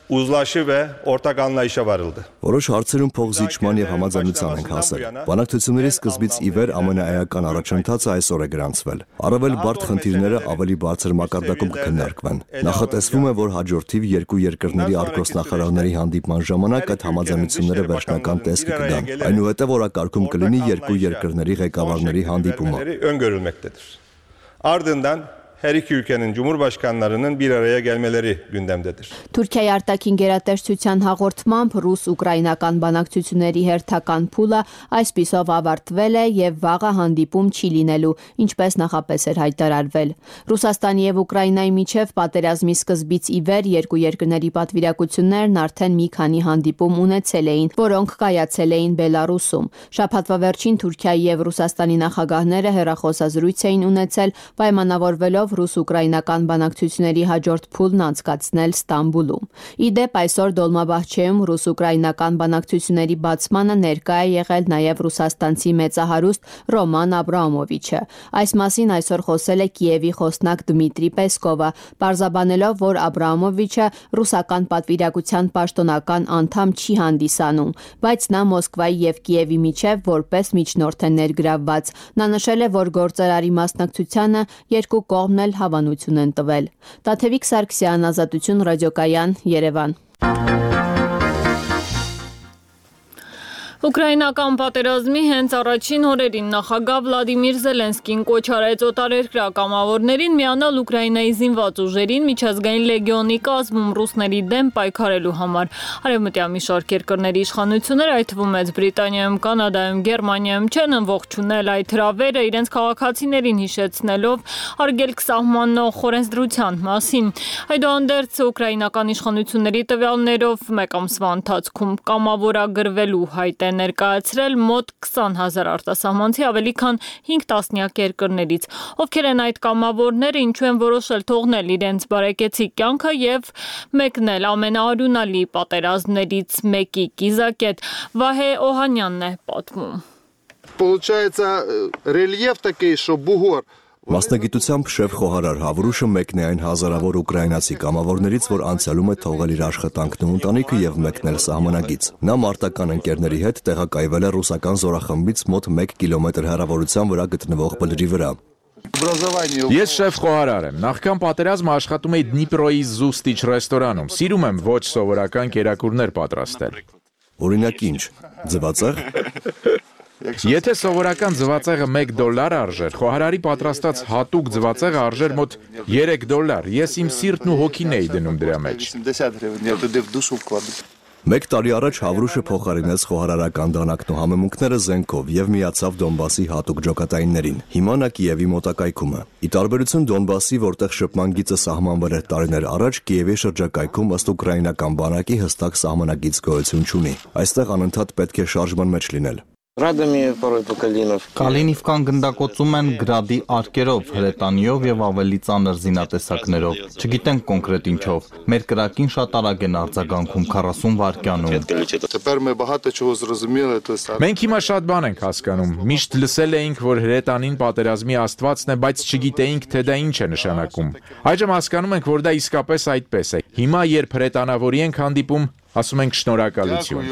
uzlaşı ve ortak anlayışa varıldı. Որոշ հարցերում փոխզիջման եւ համաձայնության ենք հասել։ Բանակցությունների սկզբից ի վեր ամենաէական առաջընթացը այսօր է գրանցվել։ Առավել բարդ խնդիրները ավելի բարձր մակարդակում կքննարկվեն։ Նախատեսվում է, որ հաջորդիվ երկու երկրների արտգործնախարարների հանդիպման ժամանակ այդ համաձայնությունները վերջնական տեսք կգան։ Այնուհետև օրակարգում կլինի երկու երկրների ղեկավարների հանդիպումը։ Öngörülmektedir. Ardından her iki ülkenin cumhurbaşkanlarının bir araya gelmeleri gündemdedir. Թուրքիայի արտաքին գերատեսչության հաղորդմամբ ռուս-ուկրաինական բանակցությունների հերթական փուլը այսպիսով ավարտվել է եւ վաղը հանդիպում չի լինելու, ինչպես նախապես էր հայտարարվել։ Ռուսաստանի եւ Ուկրաինայի միջև պատերազմի սկզբից ի վեր երկու երկրների պատվիրակություններն արդեն մի քանի հանդիպում ունեցել էին, որոնք կայացել էին Բելարուսում։ Շաբաթվա վերջին Թուրքիայի եւ Ռուսաստանի նախագահները հեռախոսազրույց էին ունեցել, պայմանավորվելով ռուս-ուկրաինական բանակցությունների հաջորդ փուլն անցկացնել Ստամբուլում։ Ի դեպ այսօր Դոլմաբահչեում ռուս-ուկրաինական բանակցությունների բացմանը ներկա է եղել նաև ռուսաստանցի մեծահարուստ Ռոման Աբրամովիչը։ Այս մասին այսօր խոսել է Կիևի խոսնակ Դմիտրի Պեսկովը, պարզաբանելով, որ Աբրամովիչը ռուսական պատվիրակության պաշտոնական անդամ չի հանդիսանում, բայց նա Մոսկվայի եւ Կիևի միջև որպես միջնորդ է ներգրավված։ Նա նշել է, որ գործարարի մասնակցությանը երկու կողմն էլ հավանություն են տվել։ Տաթևիկ Սարգսյան, Ազատություն ռադիոկայան, Երևան։ Ուկրաինական պատերազմի հենց առաջին օրերին նախագահ Վլադիմիր Զելենսկին կոչ արեց օտարերկրյա կամավորներին միանալ Ուկրաինայի զինված ուժերին միջազգային լեգիոնի կազմում ռուսների դեմ պայքարելու համար։ Արևմտյան մի շարք երկրների իշխանությունները, այդ թվում Մեծ Բրիտանիայում, Կանադայում, Գերմանիայում չեն ողջունել այդ հրավերը, իրենց քաղաքացիներին հիշեցնելով արգելք սահմանող օրենսդրության մասին։ Այդուհանդերձ ուկրաինական իշխանությունների տվյալներով մեկ ամսվա ընթացքում կամավորագրվելու հայտ ներկայացրել մոտ քսան հազար արտասահմանցի ավելի քան հինգ տասնյակ երկրներից։ Ովքեր են այդ կամավորները, ինչու են որոշել թողնել իրենց բարեկեցիկ կյանքը եւ մեկնել ամենաարյունալի պատերազմներից մեկի կիզակետ։ Վահե Օհանյանն է պատմում։ получается рельеф такой, что бугор. Մասնագիտությամբ շեֆ խոհարար Հավրուշը մեկն է այն հազարավոր ուկրաինացի կամավորներից, որ անցյալում է թողել իր աշխատանքն ու ընտանիքը եւ մեկնել սահմանագից։ Նա մարտական ընկերների հետ տեղակայվել է ռուսական զորախմբից մոտ մեկ կիլոմետր հեռավորության վրա գտնվող բլրի վրա։ Ես շեֆ խոհարար եմ։ Նախքան պատերազմը աշխատում էի Դնիպրոյի Զուստիչ ռեստորանում։ Սիրում եմ ոչ սովորական կերակուրներ պատրաստել։ Օրինակ ինչ, ձվածեղ։ Եթե սովորական ձվածեղը մեկ դոլար արժեր, խոհարարի պատրաստած հատուկ ձվածեղը արժեր մոտ երեք դոլար։ Ես իմ սիրտն ու հոգին էի դնում դրա մեջ։ Մեկ տարի առաջ Հավրուշը փոխարինեց խոհարարական դանակն ու համեմունքները զենքով եւ միացավ Դոնբասի հատուկ ջոկատայիններին։ Հիմա նա Կիևի մոտակայքում է։ Ի տարբերություն Դոնբասի, որտեղ շփման գիծը սահմանվել էր տարիներ առաջ, Կիևի շրջակայքում ըստ ուկրաինական բանակի հստակ սահմանագիծ գոյություն չունի։ Այստեղ անընդհատ պետք է շարժման մեջ լինել։ Կալինիվկան գնդակոծում են գրադի արկերով, հրետանիով եւ ավելի ծանր զինատեսակներով։ Չգիտենք կոնկրետ ինչով։ Մեր կրակին շատ արագ են արձագանքում քառասուն վայրկյանում։ Մենք հիմա շատ բան ենք հասկանում։ Միշտ լսել էինք, որ հրետանին պատերազմի աստվածն է, բայց չգիտեինք, թե դա ինչ է նշանակում։ Այժմ հասկանում ենք, որ դա իսկապես այդպես է։ Հիմա, երբ հրետանավորի ենք հանդիպում, ասում ենք շնորհակալություն։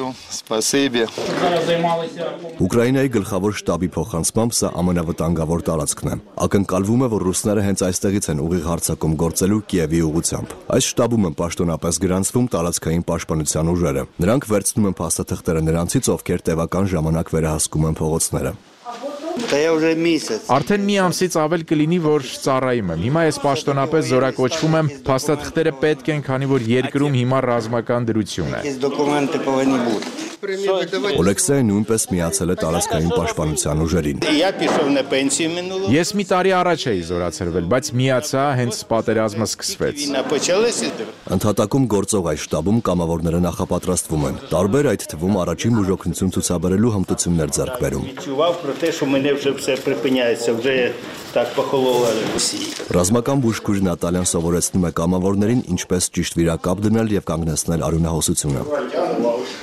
Ուկրաինայի գլխավոր շտաբի փոխանցմամբ սա ամենավտանգավոր տարածքն է։ Ակնկալվում է, որ ռուսները հենց այստեղից են ուղիղ հարձակում գործելու Կիևի ուղղությամբ։ Այս շտաբում են պաշտոնապես գրանցվում տարածքային պաշտպանության ուժերը։ Նրանք վերցնում են փաստաթղթերը նրանցից, ովքեր տևական ժամանակ վերահսկում են փողոցները։ Արդեն մի ամսից ավել կլինի, որ ծառայում եմ։ Հիմա ես պաշտոնապես զորակոչվում եմ, փաստաթղթերը պետք են, քանի որ երկրում հիմա ռազմական դրություն է։ Օլեքսեյը նույնպես միացել է տարածքային պաշտպանության ուժերին։ Ես մի տարի առաջ էի զորացրվել, բայց միացա հենց պատերազմը սկսվեց։ Ընդհատակում գործող այս շտաբում կամավորները նախապատրաստվում են։ Տարբեր այդ թվում առաջին բուժօգնություն ցուցաբերելու հմտություններ ձեռք բերում։ Ռազմական բուժքույր Նատալյան սովորեցնում է կամավորներին ինչպես ճիշտ վիրակապ դնել եւ կանգնեցնել արյունահոսությունը։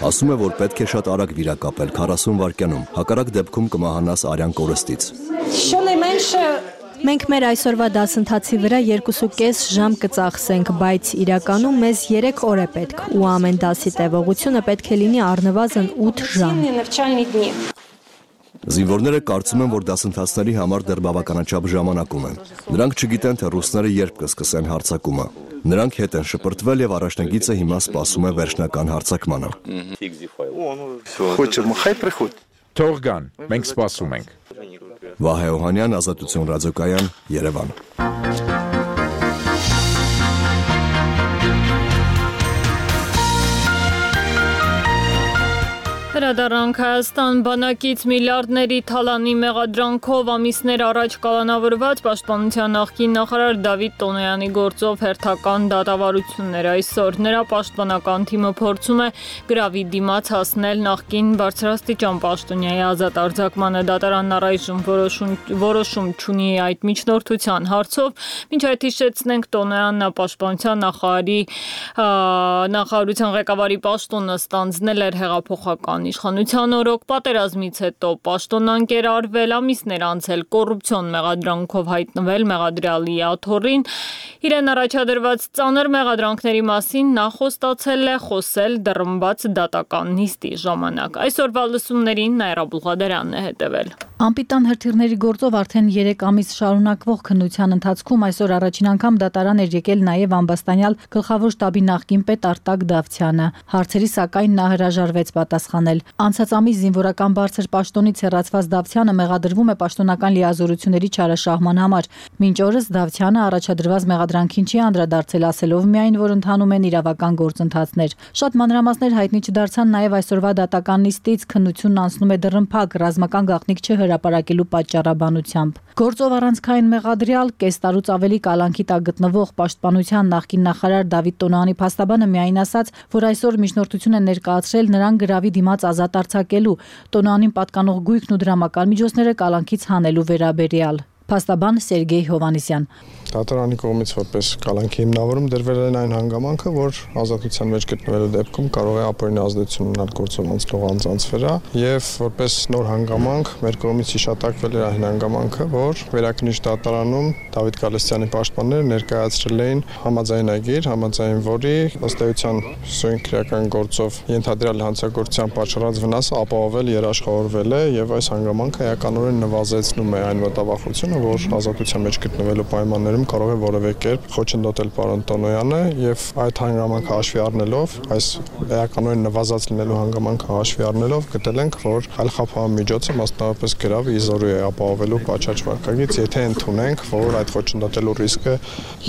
Ասում է, որ պետք է շատ արագ վիրակապել քառասուն վայրկյանում, հակառակ դեպքում կմահանաս արյան կորստից։ Մենք մեր այսօրվա դասընթացի վրա երկուսուկես ժամ կծախսենք, բայց իրականում մեզ երեք օր է պետք ու ամեն դասի տևողությունը պետք է լինի առնվազն ութ ժամ։ Զինվորները կարծում են, որ դասընթացների համար դեռ բավականաչափ ժամանակ ունեն։ Նրանք չգիտեն, թե ռուսները երբ կսկսեն հարձակումը։ Նրանք հետ են շպրտվել եւ առաջնագիծը հիմա սպասում է վերջնական հարձակմանը։ Թող գան, մենք սպասում ենք։ Վահե Օհանյան, Ազատություն ռադիոկայան, Երևան։ Հրադառնանք Հայաստան բանակից միլիարդների թալանի մեղադրանքով ամիսներ առաջ կալանավորված պաշտպանության նախկին նախարար Դավիթ Տոնոյանի գործով հերթական դատավարություններ այսօր։ Նրա պաշտպանական թիմը փորձում է գրավի դիմաց հասնել նախկին բարձրաստիճան պաշտոնյայի ազատ արձակմանը։ Դատարանն առայժմ որոշում, որոշում չունի այդ միջնորդության հարցով։ Մինչ այդ հիշեցնենք, Տոնոյանն պաշտպանության նախարարի նախարարության ղեկավարի պաշտոնը ստանձնել էր հեղափոխական իշխանության օրոք պատերազմից հետո պաշտոնանկեր արվել, ամիսներ անցել կոռուպցիոն մեղադրանքով հայտնվել մեղադրյալի աթոռին։ Իրեն առաջադրված ծանր մեղադրանքների մասին նա խոստացել է խոսել դռնբաց դատական նիստի ժամանակ։ Այսօրվա լսումներին Նաիրա Բուղադարյանն է հետևել։ Անպիտան հրթիռների գործով արդեն երեք ամիս շարունակվող քննության ընթացքում այսօր առաջին անգամ դատարան էր եկել նաև ամբաստանյալ գլխավոր շտաբի նախկին պետ Արտակ Դավթյանը։ Հարցերի սակայն նա հրաժարվեց պատասխանել։ Անցած ամիս զինվորական բարձր պաշտոնից հեռացված Դավթյանը մեղադրվում է պաշտոնական լիազորությունների չարաշահման համար։ Մինչ օրս Դավթյանը առաջադրված մեղադրանքին չի անդրադարձել, ասելով միայն, որ ընթանում են իրավական գործընթացներ։ Շատ մանրամասներ հայտնի չդարձան նաև այսօրվա դատական նիստից, քննությունն անցնում է դռնփակ, ռազմական գաղտնիք չհրապարակելու պատճառաբանությամբ։ Գործով առանցքային մեղադրյալ կես տարուց ավելի կալանքի տակ գտնվող պաշտպանության նախկին նախարար Դավիթ Տոնոյանի փաստաբանը միայն ասաց, որ այսօր միջնորդություն է ներկայացրել նրան գրավի դիմաց ազատ արձակելու, Տոնոյանին պատկանող գույքն ու դրամական միջոցները կալանքից հանելու վերաբերյալ։ Փաստաբան Սերգեյ Հովանեսյան։ Դատարանի կողմից որպես կալանքի հիմնավորում դրվել են այն հանգամանքը, որ ազատության մեջ գտնվելու դեպքում կարող է ապօրինի ազդեցություն ունենալ գործով անցնող անձանց վրա, եւ որպես նոր հանգամանք մեր կողմից հիշատակվել էր այն հանգամանքը, որ վերաքննիչ դատարանում Դավիթ Գալստյանի պաշտպանները ներկայացրել էին համաձայնագիր, համաձայն որի ըստ էության սույն քրեական գործով ենթադրյալ հանցագործության պատճառած վնասը ապահովել երաշխավորվել է եւ այս հանգամանքը էականորեն նվազեցնում է այն մտավախությունը, որ ազատության մեջ գտնվելու պայմաններում կարող է որևէ կերպ խոչընդոտել պարոն Տոնոյանը եւ այդ հանգամանքը հաշվի առնելով, այս էականորեն նվազած լինելու հանգամանքը հաշվի առնելով գտել ենք, որ այլ խափան միջոցը մասնավորապես գրավը իզորու է ապահովելու պատշաճ վարկագից, եթե ընդունենք, որ այդ խոչընդոտելու ռիսկը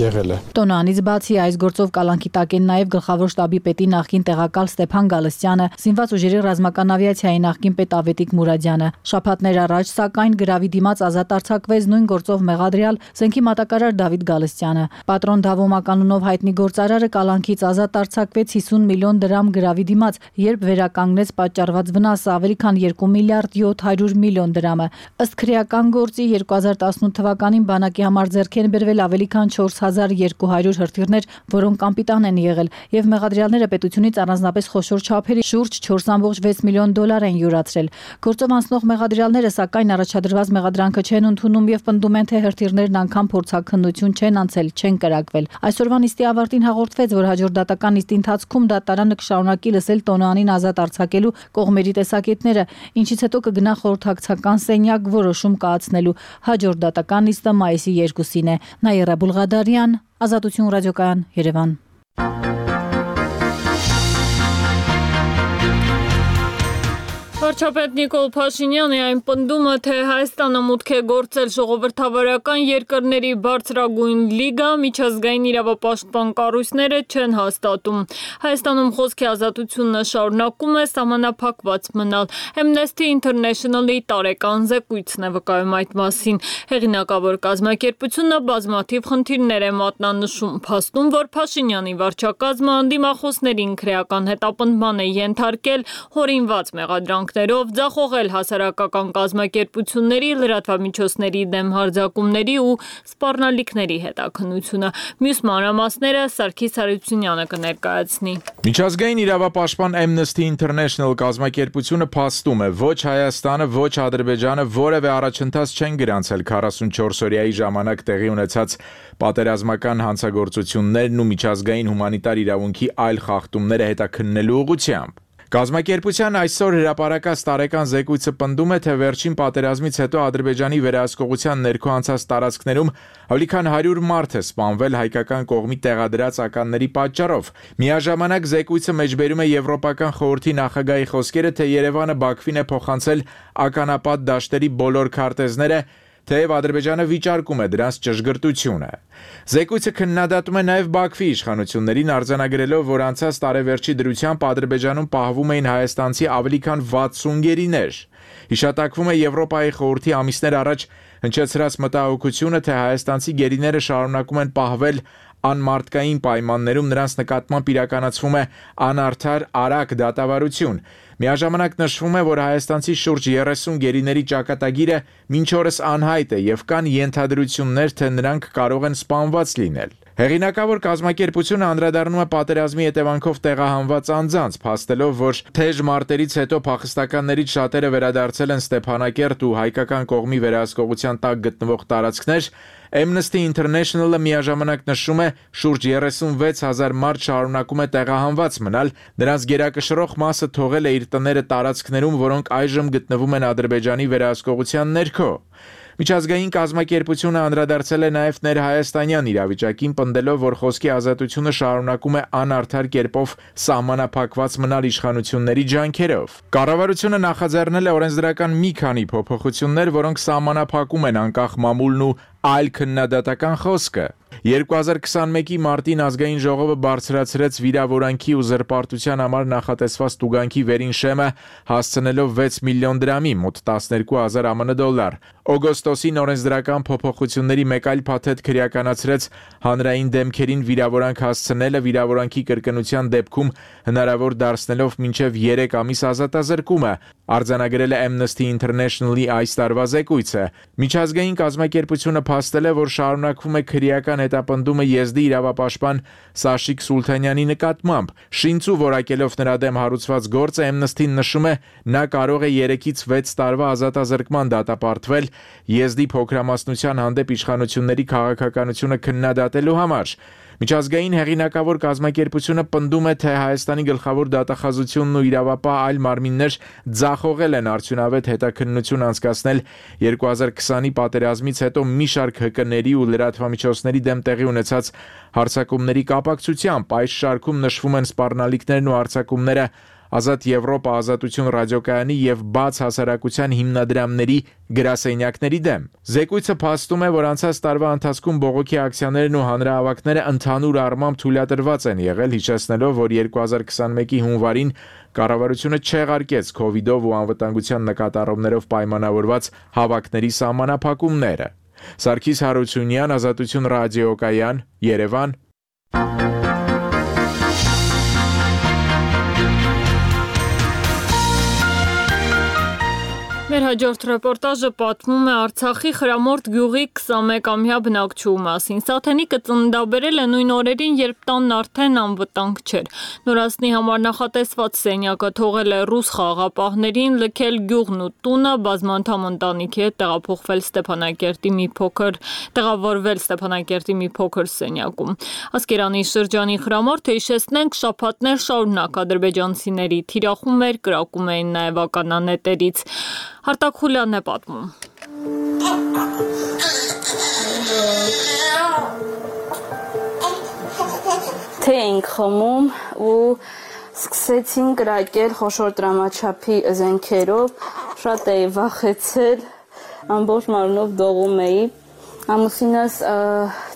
եղել է։ Տոնոյանից բացի այս գործով կալանքի տակ են նաեւ գլխավոր շտաբի պետի նախկին տեղակալ Ստեփան Գալստյանը, զինված ուժերի ռազմական ավիացիայի նախկին պետ Ավետիք Մուրադյանը։ Շաբաթներ առաջ սակայն գրավի դիմաց ազատ արձակվեց նույն գործով մեղադրյալ Զենքի մատակարար Դավիթ Գալստյանը։ Պատրոն Դավոմականունով հայտնի գործարարը կալանքից ազատ արձակվեց հիսուն միլիոն դրամ գրավի դիմաց, երբ վերականգնեց պատճառված վնասը ավելի քան երկու միլիարդ յոթ հարյուր միլիոն դրամը։ Ըստ քրեական գործի երկու հազար տասնութ թվականին բանակի համար ձեռք են բերվել ավելի քան չորս հազար երկու հարյուր հրթիռներ, որոնք անպիտան են եղել, եւ մեղադրյալները պետությունից առանձնապես խոշոր չափերի շուրջ չորս կόμma վեց միլիոն դոլար են յուրացրել։ Գործով անցնող մեղադրյալները սակայն առաջադրված մեղադրանքը չեն ընդունում եւ պնդում են, թե հրթիռներն անգամ փորձաքննություն չեն անցել, չեն կրակվել։ Այսօրվա նիստի ավարտին հաղորդվեց, որ հաջորդ դատական նիստի ընթացքում դատարանը կշարունակի լսել Տոնոյանին ազատ արձակելու կողմերի տեսակետները, ինչից հետո կգնա խորհրդակցական սենյակ որոշում կայացնելու։ Հաջորդ դատական նիստը մայիսի երկուսին է։ Նաիրա Բուլղադարյան, Ազատություն ռադիոկայան, Երևան։ Վարչապետ Նիկոլ Փաշինյանի այն պնդումը, թե Հայաստանը մուտք է գործել ժողովրդավարական երկրների բարձրագույն լիգա, միջազգային իրավապաշտպան կառույցները չեն հաստատում։ Հայաստանում խոսքի ազատությունը շարունակում է սահմանափակված մնալ։ Amnesty International-ի տարեկան զեկույցն է վկայում այդ մասին։ Հեղինակավոր կազմակերպությունը բազմաթիվ խնդիրներ է մատնանշում, փաստում, որ Փաշինյանի վարչակազմը անդիմախոսներին քրեական հետապնդման է ենթարկել հորինված մեղադրանք ձախողել հասարակական կազմակերպությունների, լրատվամիջոցների դեմ հարձակումների ու սպառնալիքների հետաքննությունը։ Մյուս մանրամասները Սարգիս Հարությունյանը կներկայացնի։ Միջազգային իրավապաշտպան Amnesty International կազմակերպությունը փաստում է, ոչ Հայաստանը, ոչ Ադրբեջանը որևէ առաջընթաց չեն գրանցել քառասունչորս օրյայի ժամանակ տեղի ունեցած պատերազմական հանցագործություններն ու միջազգային հումանիտար իրավունքի այլ խախտումները հետաքննելու ուղղությամբ։ Կազմակերպության այսօր հրապարակած տարեկան զեկույցը պնդում է, թե վերջին պատերազմից հետո Ադրբեջանի վերահսկողության ներքո անցած տարածքներում ավելի քան հարյուր մարդ է սպանվել հայկական կողմի տեղադրած ականների պատճառով։ Միաժամանակ զեկույցը մեջբերում է Եվրոպական խորհրդի նախագահի խոսքերը, թե Երևանը Բաքվին է փոխանցել ականապատ դաշտերի բոլոր քարտեզները, թեև Ադրբեջանը վիճարկում է դրանց ճշգրտությունը։ Զեկույցը քննադատում է նաև Բաքվի իշխանություններին, արձանագրելով, որ անցած տարեվերջի դրությամբ Ադրբեջանում պահվում էին հայաստանցի ավելի քան վաթսուն գերիներ։ Հիշատակվում է Եվրոպայի խորհրդի ամիսներ առաջ հնչեցրած մտահոգությունը, թե հայաստանցի գերիները շարունակում են պահվել անմարդկային պայմաններում, նրանց նկատմամբ իրականացվում է անարդար արագ դատավարություն։ Միաժամանակ նշվում է, որ հայաստանցի շուրջ երեսուն գերիների ճակատագիրը մինչ օրս անհայտ է եւ կան ենթադրություններ, թե նրանք կարող են սպանված լինել։ Հեղինակավոր կազմակերպությունը անդրադառնում է պատերազմի հետևանքով տեղահանված անձանց, փաստելով, որ թեժ մարտերից հետո փախստականներից շատերը վերադարձել են Ստեփանակերտ ու հայկական կողմի վերահսկողության տակ գտնվող տարածքներ։ Amnesty International-ը միաժամանակ նշում է, շուրջ երեսունվեց հազար մարդ շարունակում է տեղահանված մնալ, նրանց գերակշռող մասը թողել է իր տները տարածքներում, որոնք այժմ գտնվում են Ադրբեջանի վերահսկողության ներքո։ Միջազգային կազմակերպությունը անդրադարձել է նաև ներհայաստանյան իրավիճակին, պնդելով, որ խոսքի ազատությունը շարունակում է անարդար կերպով սահմանափակված մնալ իշխանությունների ջանքերով։ Կառավարությունը նախաձեռնել է օրենսդրական մի քանի փոփոխություններ, որոնք սահմանափակում են անկախ մամուլն ու այլ քննադատական խոսքը։ երկու հազար քսանմեկի մարտին ազգային ժողովը բարձրացրեց վիրավորանքի ու զրպարտության համար նախատեսված տուգանքի վերին շեմը հասցնելով վեց միլիոն դրամի, մոտ տասներկու հազար ԱՄՆ դոլար։ Օգոստոսին օրենսդրական փոփոխությունների մեկ այլ փաթեթ քրեականացրեց հանրային դեմքերին վիրավորանք հասցնելը վիրավորանքի կրկնության դեպքում հնարավոր դարձնելով մինչև երեք ամիս ազատազրկումը, արձանագրել է Amnesty International-ի այս տարվա զեկույցը։ Միջազգային կազմակերպությունը փաստել է, որ շարունակվում է քրեական հետապնդումը Եզդի իրավապաշտպան Սաշիկ Սուլթանյանի նկատմամբ։ Շինցու որակելով նրա դեմ հարուցված գործը Amnesty-ն նշում է, նա կարող է երեքից վեց տարվա ազատազրկման դատապարտվել Եզդի փոքրամասնության հանդեպ իշխանությունների քաղաքականությունը քննադատելու համար։ Միջազգային հեղինակավոր կազմակերպությունը պնդում է, թե Հայաստանի գլխավոր դատախազությունն ու իրավապահ այլ մարմիններ ձախողել են արդյունավետ հետաքննություն անցկացնել երկու հազար քսանի պատերազմից հետո մի շարք հկների ու լրատվամիջոցների դեմ տեղի ունեցած հարձակումների կապակցությամբ։ Այս շարքում նշվում են սպառնալիքներն ու հարձակումները Ազատ Եվրոպա ազատություն ռադիոկայանի եւ բաց հասարակության հիմնադրամների գրասենյակների դեմ։ Զեկույցը փաստում է, որ անցած տարվա ընթացքում բողոքի ակցիաներն ու հանրահավաքները ընդհանուր առմամբ թույլատրված են եղել, հիշեցնելով, որ երկու հազար քսանմեկի հունվարին կառավարությունը չեղարկեց քովիդով ու անվտանգության նկատառումներով պայմանավորված հավաքների սահմանափակումները։ Սարգիս Հարությունյան, Ազատություն ռադիոկայան, Երևան։ Մեր հաջորդ ռեպորտաժը պատմում է Արցախի Խրամորդ գյուղի քսանմեկամյա բնակչուհու մասին։ Սաթենիկը ծննդաբերել է նույն օրերին, երբ տանն արդեն անվտանգ չէր։ Նորածնի համար նախատեսված սենյակը թողել է ռուս խաղաղապահներին, լքել գյուղն ու տունը, բազմանդամ ընտանիքի հետ տեղափոխվել Ստեփանակերտի մի փոքր տեղավորվել Ստեփանակերտի մի փոքր սենյակում։ Ասկերանի շրջանի Խրամորդը հիշեցնենք շաբաթներ շարունակ ադրբեջանցիների թիրախումներ կրակում էին նաև ականանետերից։ Հարտակ Խուլյանն է պատմում։ Թե ենք խմում ու սկսեցին կրակել խոշոր դրամաչափի զենքերով, շատ էի վախեցել, ամբողջ մարմնով դողում էի։ Ամուսինս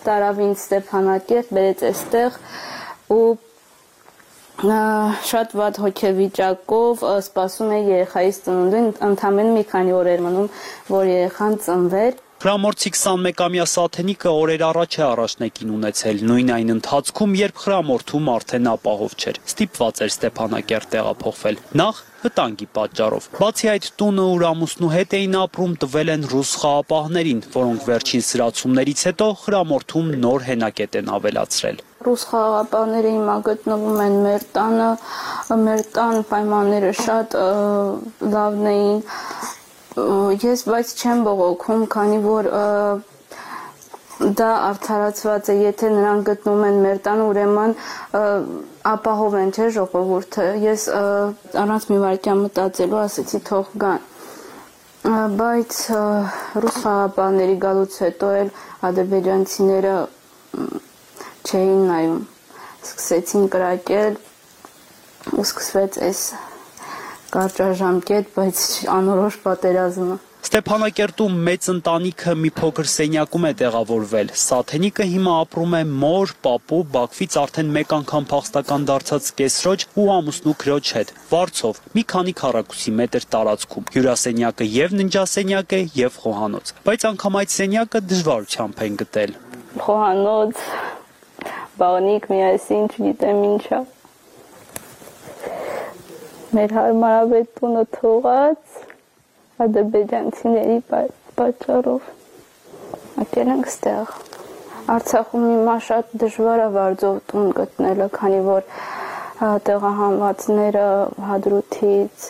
տարավ ինձ Ստեփանակերտ, բերեց այստեղ ու շատ վատ հոգեվիճակով սպասում է երեխայից ծնունդին, ընդամենը մի քանի օր էր մնում, որ երեխան ծնվեր։ Խրամորդի քսանմեկամյա Սաթենիկը օրեր առաջ է առաջնեկին ունեցել, նույն այն ընթացքում, երբ Խրամորդում արդեն ապահով չէր, ստիպված էր Ստեփանակերտ տեղափոխվել, նախ վտանգի պատճառով։ Բացի այդ, տունը ու ամուսնու հետ էին ապրում, տվել են ռուս խաղապահներին, որոնք վերջին սրացումներից հետո Խրամորդում նոր հենակետ են ավելացրել։ Ռուս խաղապահները հիմա գտնվում են մեր տանը, մեր տան պայմանները շատ լավն էին, ես բայց չեմ բողոքում, քանի որ դա արդարացված է, եթե նրանք գտնվում են մեր տանը, ուրեմն ապահով են, չէ՞ ժողովուրդը։ Ես առանց մի վայրկյան մտածելու ասեցի թող գան։ Բայց ռուս խաղապահների գալուց հետո էլ ադրբեջանցիները չէին նայում, սկսեցին կրակել ու սկսվեց այս կարճաժամկետ, բայց անորոշ պատերազմը։ Ստեփանակերտում մեծ ընտանիքը մի փոքր սենյակում է տեղավորվել։ Սաթենիկը հիմա ապրում է մոր, պապու, Բաքվից արդեն մեկ անգամ փախստական դարձած կեսրոջ ու ամուսնու քրոջ հետ, վարձով, մի քանի քառակուսի մետր տարածքում։ Հյուրասենյակը եւ ննջասենյակ է եւ խոհանոց, բայց անգամ այդ սենյակը դժվարությամբ են գտել։ Խոհանոց, բանիկ, միասին, չգիտեմ ինչա։ Մեր հարմարավետ տունը թողած ադրբեջանցիների պատճառով եկել ենք ստեղ։ Արցախում հիմա շատ դժվար է վարձով տուն գտնելը, քանի որ տեղահանվածները Հադրութից,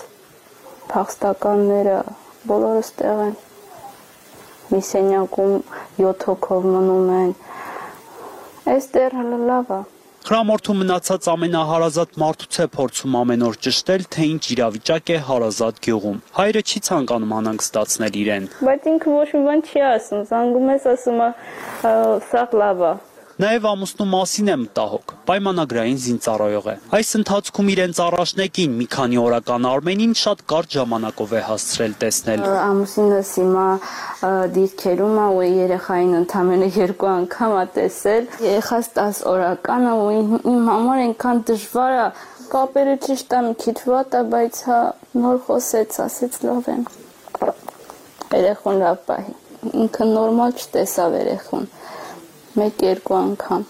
փախստականները բոլորը ստեղ են։ Մի սենյակում յոթ հոգով մնում են։ Այստեղ լավ է։ Խրամորդում մնացած ամենահարազատ մարդուց է փորձում ամեն օր ճշտել, թե ինչ իրավիճակ է հարազատ գյուղում։ Հայրը չի ցանկանում անհանգստացնել իրեն։ Բայց ինքը ոչ մի բան չի ասում, զանգում ես, ասում է սա լավ է։ Նաև ամուսնու մասին է մտահոգ, պայմանագրային զինծառայող է։ Այս ընթացքում իրենց առաջնեկին մի քանի օրական Արմենին շատ կարճ ժամանակով է հասցրել տեսնել։ Ամուսինս հիմա դիրքերում է ու երեխային ընդամենը երկու անգամ է տեսել։ Երեխաս տասը օրական է ու իմ համար այնքան դժվար է։ Կապերը ճիշտ է, մի քիչ վատ է, բայց հա նոր խոսեց, ասեց լավ եմ։ Երեխուն լավ պահի։ Ինքը նորմալ չտեսավ երեխուն։ Մեկ-երկու անգամ։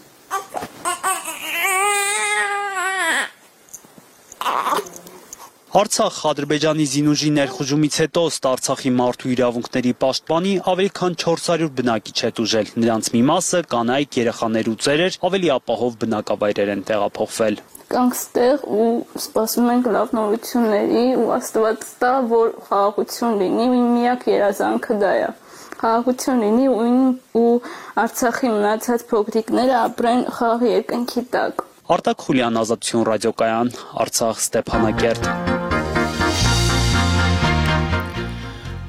Արցախ Ադրբեջանի զինուժի ներխուժումից հետո ըստ Արցախի մարդու իրավունքների պաշտպանի ավելի քան չորս հարյուր բնակիչ է տուժել։ Նրանց մի մասը կանայք, երեխաներ ու ծերեր ավելի ապահով բնակավայրեր են տեղափոխվել։ Կանք ստեղ ու սպասում ենք լավ նորությունների ու Աստված տա, որ խաղաղություն լինի, իմ միակ երազանքը դա է։ Խաղաղություն լինի ու Արցախի մնացած փոքրիկները ապրեն խաղաղ երկնքի տակ։ Արտակ Խուլյան, Ազատություն ռադիոկայան, Արցախ, Ստեփանակերտ։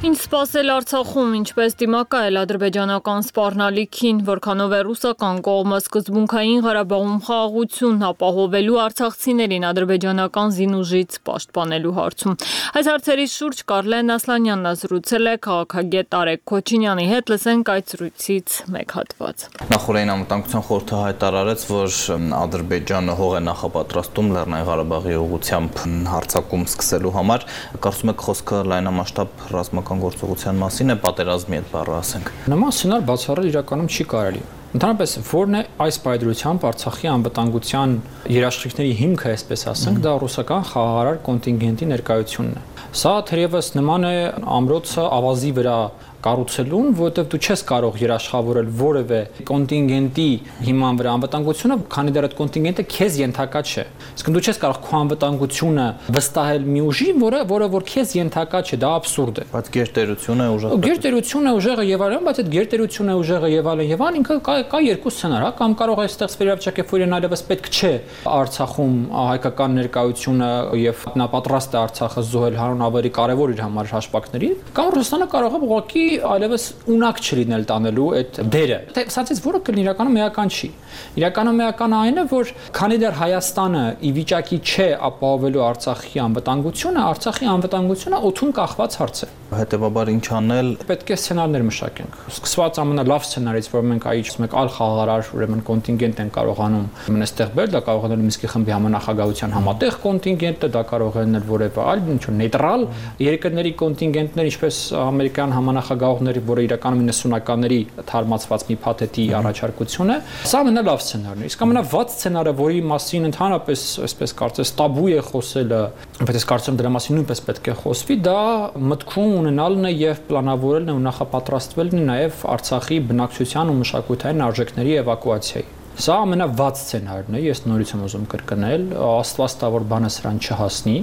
Ինչ սպասել Արցախում, ինչպես դիմակայել ադրբեջանական սպառնալիքին, որքանով է ռուսական կողմը սկզբունքային Ղարաբաղում խաղաղություն ապահովելու արցախցիներին ադրբեջանական զինուժից պաշտպանելու հարցում։ Այս հարցերի շուրջ Կարլեն Ասլանյանն զրուցել է քաղաքագետ Արեգ Քոչինյանի հետ, լսենք այդ զրույցից մեկ հատված։ Նախորդային անվտանգության խորհուրդը հայտարարեց, որ Ադրբեջանը հող է նախապատրաստում Լեռնային Ղարաբաղի ուղղությամբ հարձակում սկսելու համար։ Կարծում եք խոսքը լայնամասշտաբ ռազմական գործողության մասին է, պատերազմի հետ բառը ասենք։ Նման սցենար բացառել իրականում չի կարելի։ Ընդհանրապես, որն է այս պայծրությամբ Արցախի անվտանգության երաշխիքների հիմքը, այսպես ասենք, դա ռուսական խաղաղարար կոնտինգենտի ներկայությունն է։ Սա թերևս նման է ամրոցը ավազի վրա կառուցելուն, որովհետև դու չես կարող երաշխավորել որևէ կոնտինգենտի հիման վրա անվտանգությունը, քանի դեռ այդ կոնտինգենտը քեզ ենթակա չէ։ Իսկ դու չես կարող քո անվտանգությունը վստահել մի ուժի, որը որը որ քեզ ենթակա չէ, դա աբսուրդ է։ Բայց գերտերությունը ուժը։ Գերտերությունը ուժեղը եւ այլն, բայց այդ գերտերությունը ուժեղը եւ այլն եւ այլն ինքը կա, կա երկու սցենար, հա, կամ կարող է այստեղ վերաբերյալ որ իրեն այլևս պետք չէ Արցախում հայկական ներկայությունը եւ նա պատրաստ է Արցախը զոհել հանուն ավելի կարեւոր իր համար հաշվարկների, կամ Ռուսաստանը կարող է ուղղակի այլևս ունակ չլինել տանելու այդ դերը։ Սրանցից որը կլինի իրականում էական չի։ Իրականում էականը այն է, որ քանի դեռ Հայաստանը ի վիճակի չէ ապահովելու Արցախի անվտանգությունը, Արցախի անվտանգությունը օդում կախված հարց է։ Հետևաբար ինչ անել։ Պետք է սցենարներ մշակենք։ Սկսված ամենալավ սցենարից, որ մենք այ մեկ այլ խաղաղարար ուրեմն կոնտինգենտ են կարողանում մնստեղ բերել, դա կարող է լինել Մինսկի խմբի համանախագահության համատեղ կոնտինգենտը, դա կարող է լինել որևէ այլ ինչ որ նեյտրալ երկրների կոնտինգենտներ, ինչպես ամերիկյան համանախագահողների, որը իրականում իննսունականների թարմացված մի փաթեթի առաջարկություն է։ Սա ամենալավ սցենարն է։ Իսկ ամենավատ սցենարը, որի մասին ընդհանրապես այսպես կարծես տաբու է խոսելը, բայց ես կարծում եմ դրա մասին նույնպես պետք է խոսվի, դա մտքում ունենալն է եւ պլանավորելն է ու նախապատրաստվելն է նաեւ Արցախի բնակչության ու մշակութային արժեքների էվակուացիայի։ Սա ամենավատ սցենարն է, ես նորից եմ ուզում կրկնել, Աստված տա որ բանը սրան չհասնի,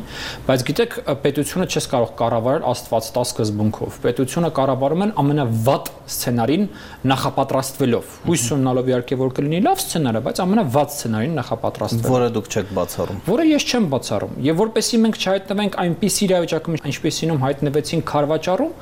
բայց գիտեք, պետությունը չես կարող կառավարել Աստված տա սկզբունքով։ Պետությունը կառավարում են ամենավատ սցենարին նախապատրաստվելով։ Հույս ունենալով իհարկե որ կլինի լավ սցենարը, բայց ամենավատ սցենարին նախապատրաստվելով։ Որը դուք չեք բացառում։ Որը ես չեմ բացառում։ Եվ որպեսզի մենք չհայտնվենք այնպիսի իրավիճակում, ինչպեսինում հայտնվեցին Քարվաճառում,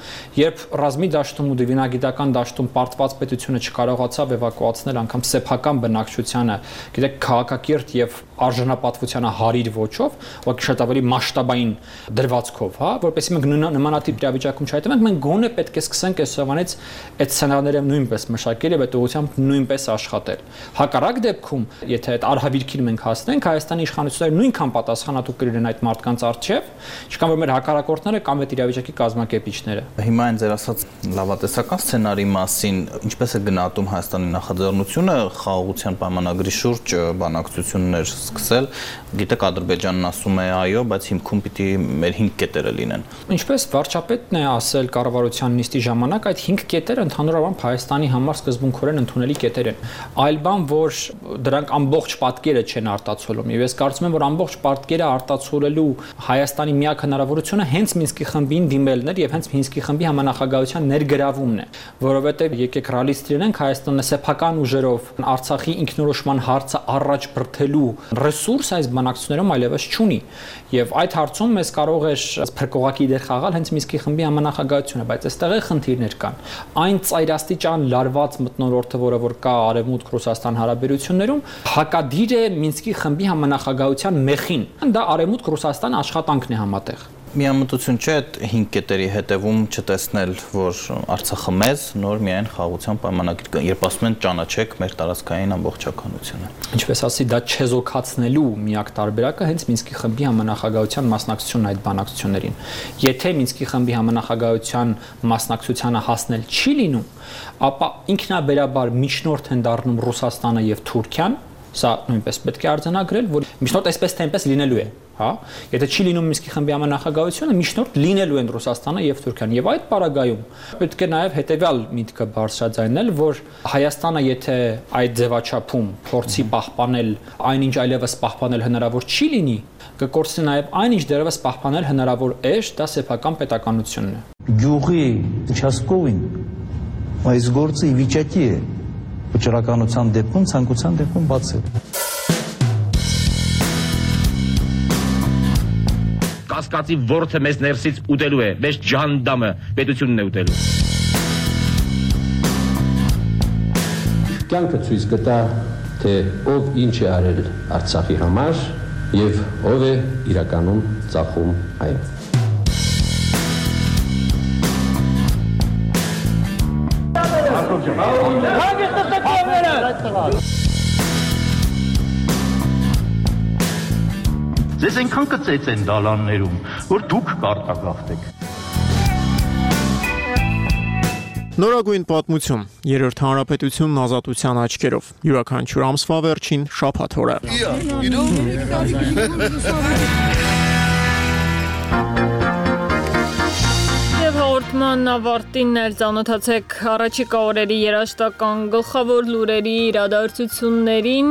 երբ ռազմի դաշտում ու դիվանագիտական դաշտում պարտված պետությունը չկարողացավ էվակուացնել անգամ սեփական բնակչությանը, գիտեք, քաղաքակիրթ եւ արժանապատվությանը հարիր ոչով, ուղղակի շատ ավելի մասշտաբային դրվածքով, հա, որպեսզի մենք նմանատիպ իրավիճակում չհայտնվենք, մենք գոնե պետք է սկսենք այսօրվանից այդ սցենարները նույնպես մշակել եւ այդ ուղղությամբ նույնպես աշխատել։ Հակառակ դեպքում, եթե այդ արհավիրքին մենք հասնենք, Հայաստանի իշխանությունները նույնքան պատասխանատու կլինեն այդ մարդկանց առջև, ինչքան որ մեր հակառակորդները կամ այդ իրավիճակի կազմակերպիչները։ Հիմա այն ձեր ասած լավատեսական սցենարի մասին ինչպես է գնահատում Հայաստանի նախաձեռնությունը խաղաղության պայմանագրի շուրջ բանակցություններ սկսել, գիտեք Ադրբեջանն ասում է այո, բայց հիմքում պիտի մեր հինգ կետերը լինեն։ Ինչպես վարչապետն է ասել կառավարության նիստի ժամանակ, այդ հինգ կետերը ընդհանուր առմամբ Հայաստանի համար սկզբունքորեն ընդունելի կետեր են։ Այլ բան, որ դրանք ամբողջ պատկերը չեն արտացոլում, եւ ես կարծում եմ, որ ամբողջ պատկերը արտացոլելու Հայաստանի միակ հնարավորությունը հենց Մինսկի խմբին դիմելն էր եւ հենց Մինսկի խմբի համանախագահության ներգրավումն է, որովհետեւ եկեք ռեալիստ լինենք, Հայաստանը սեփական ուժերով Արցախի ինքնորոշման հարցը առաջ բրթելու ռեսուրս այս բանակցություններում այլևս չունի։ Եվ այդ հարցում մեզ կարող է փրկողակի դեր խաղալ հենց Մինսկի խմբի համանախագահությունը, բայց այստեղ է խնդիրներ կան։ Այն ծայրաստիճան լարված մթնոլորտը, որը որ կա Արևմուտք-Ռուսաստան հարաբերություններում, հակադիր է Մինսկի խմբի համանախագահության մեխին։ Դա Արևմուտք-Ռուսաստան աշխատանքն է համատեղ։ Միամտություն չէ այդ հինգ կետերի հետևում չտեսնել, որ Արցախը մեզ նոր միայն խաղաղության պայմանագիր, երբ ասում են ճանաչեք մեր տարածքային ամբողջականությունը։ Ինչպես ասի, դա չեզոքացնելու միակ տարբերակը հենց Մինսկի խմբի համանախագահության մասնակցությունն այդ բանակցություններին։ Եթե Մինսկի խմբի համանախագահության մասնակցությանը հասնել չի լինում, ապա ինքնաբերաբար միջնորդ են դառնում Ռուսաստանը եւ Թուրքիան, սա նույնպես պետք է արձանագրել, որ միջնորդ այսպես թե այնպես լինելու է, հա։ Եթե չի լինում Մինսկի խմբի համանախագահությունը, միջնորդ լինելու են Ռուսաստանը եւ Թուրքիան, եւ այդ պարագայում պետք է նաեւ հետեւյալ միտքը բարձրաձայնել, որ Հայաստանը եթե այդ ձևաչափում փորձի պահպանել այնինչ այլևս պահպանել հնարավոր չի լինի, կկորցնի նաեւ այնինչ դեռևս պահպանել հնարավոր էր, դա սեփական պետականությունն է։ Գյուղի участковին այս գործը ի վիճակի է վճռականության դեպքում, ցանկության դեպքում բացել։ Կասկածի ворթը մեզ ներսից ուտելու է, մեզ ջանդամը պետությունն է ուտելու։ Կյանքը ցույց կտա, թե ով ինչ է արել Արցախի համար եւ ով է իրականում ծախում այն։ Ձեզ այնքան կծեց են դալաններում, որ դուք կարտագաղթեք։ Նորագույն պատմություն, երրորդ հանրապետությունն ազատության աչքերով, յուրաքանչյուր ամսվա վերջին շաբաթ օրը։ Հաղորդման ավարտին էլ ծանոթացեք առաջիկա օրերի երաժշտական գլխավոր լուրերի իրադարձություններին,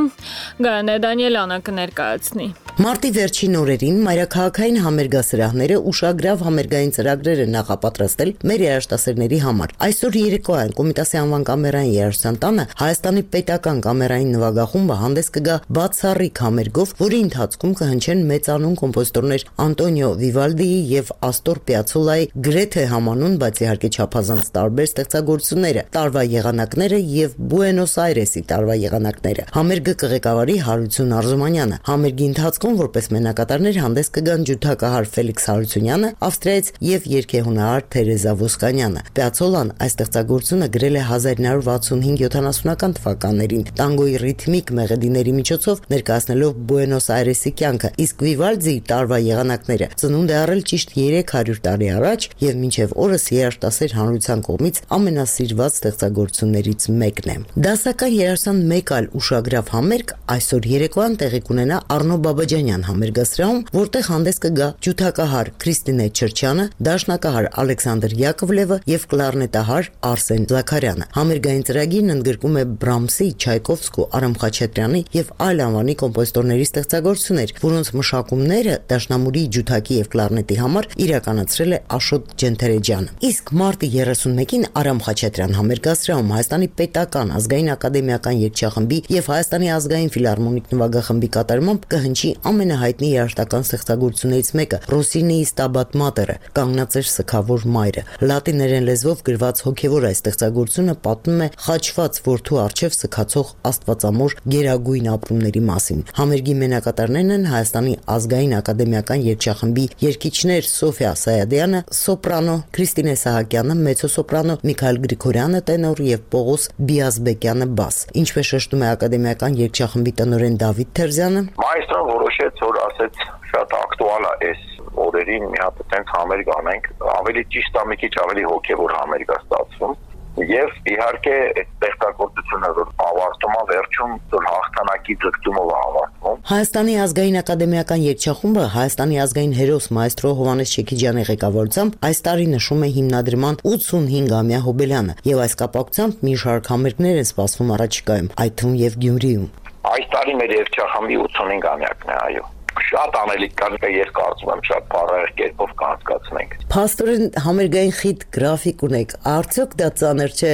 Գայանե Դանիելյանը կներկայացնի։ Մարտի վերջին օրերին մայրաքաղաքային համերգասրահները ուշագրավ համերգային ծրագրեր են նախապատրաստել մեր երաժշտասերների համար։ Այսօր երեկոյան Կոմիտասի անվան կամերային երաժշտության տանը Հայաստանի պետական կամերային նվագախումբը հանդես կգա բացառիկ համերգով, որի ընթացքում կհնչեն մեծանուն կոմպոզիտորներ Անտոնիո Վիվալդիի եւ Աստոր Պիացոլայի գրեթե համանուն, բայց իհարկե չափազանց տարբեր ստեղծագործությունները, տարվա եղանակները եւ Բուենոս Այրեսի տարվա եղանակները։ Համերգը կղեկավարի Հարություն Արզումանյանը։ Համերգի ընթացքում որպես մենակատարներ հանդես կգան ջութակահար Ֆելիքս Հարությունյանը, Ավստրիայից եւ երգեհունահար Թերեզա Ոսկանյանը։ Պիացոլան այս ստեղծագործությունը գրել է հազար ինը հարյուր վաթսունհինգ յոթանասունական թվականներին տանգոյի ռիթմիկ մեղեդիների միջոցով ներկայացնելով Բուենոս Այրեսի կյանքը, իսկ Վիվալդիի տարվա եղանակները ծնունդ է առել ճիշտ երեք հարյուր տարի առաջ եւ մինչեւ օրս երաժշտասեր հանրության կողմից ամենասիրված ստեղծագործություններից մեկն է։ Դասական երաժշտության մեկ այլ ուշագրավ համերգ այսօր երեկոյան տեղի կունենա Առնո Բաբաջանյան համերգասրահում, որտեղ հանդես կգա ջութակահար Քրիստինե Չրչյանը, դաշնակահար Ալեքսանդր Յակովլևը եւ կլարնետահար Արսեն Զաքարյանը։ Համերգային ծրագիրն ընդգրկում է Բրամսի, Չայկովսկու, Արամ Խաչատրյանի եւ այլ անվանի կոմպոզիտորների ստեղծագործություններ, որոնց մշակումները դաշնամուրի, ջութակի եւ կլարնետի համար իրականացրել է Աշոտ Ջենթերեջյանը։ Իսկ մարտի երեսունմեկին Արամ Խաչատրյան համերգասրահում Հայաստանի պետական ազգային ակադեմիական երգչախմբի եւ Հայաստանի ազգային ֆիլհարմոնիկ նվագախմբի կատարմամբ կհնչի ամենահայտնի երաժշտական ստեղծագործություններից մեկը՝ Ռոսինիի Ստաբատ Մատերը, կանգնածեր սգավոր մայրը։ Լատիներեն լեզվով գրված հոգևոր այս ստեղծագործությունը պատմում է խաչված որդու առջև սգացող աստվածամոր գերագույն ապրումների մասին։ Համերգի մենակատարներն են Հայաստանի ազգային ակադեմիական երգչախմբի երգիչներ Սոֆիա Սայադյանը, սոպրանո, Քրիստինե Սահակյանը, մեծոսոպրանո, Միքայել Գրիգորյանը, տենոր եւ Պողոս Բիազբեկյանը բաս։ Ինչպես շեշտում է ակադեմիական երգչախմբի տնօրեն Դավիթ Թերզյանը, Մայստրոն որոշեց, որ ասեց շատ ակտուալ է այս օրերին մի հատ այդպես համերգ անենք, ավելի ճիշտ է մի քիչ ավելի հոգևոր համերգ է ստացվում։ Եվ իհարկե այդ ստեղծագործությունը որ ավարտում է վերջում որ հաղթանակի ձգտումով ավարտվում։ Հայաստանի ազգային ակադեմիական երգչախումբը Հայաստանի ազգային հերոս մայստրո Հովհաննես Չեքիջյանի ղեկավարությամբ այս տարի նշում է հիմնադրման ութսունհինգամյա հոբելյանը եւ այս կապակցությամբ մի շարք համերգներ են սպասվում առաջիկայում, այդ թվում եւ Գյումրիում։ Այս տարի մեր երգչախմբի ութսունհինգամյակն է, այո։ Շատ անելիք կան, ես կարծում եմ շատ բարակ կերպով կանցկացնենք։ Փաստորեն համերգային խիտ գրաֆիկ ունեք։ Արդյոք դա ծանր չէ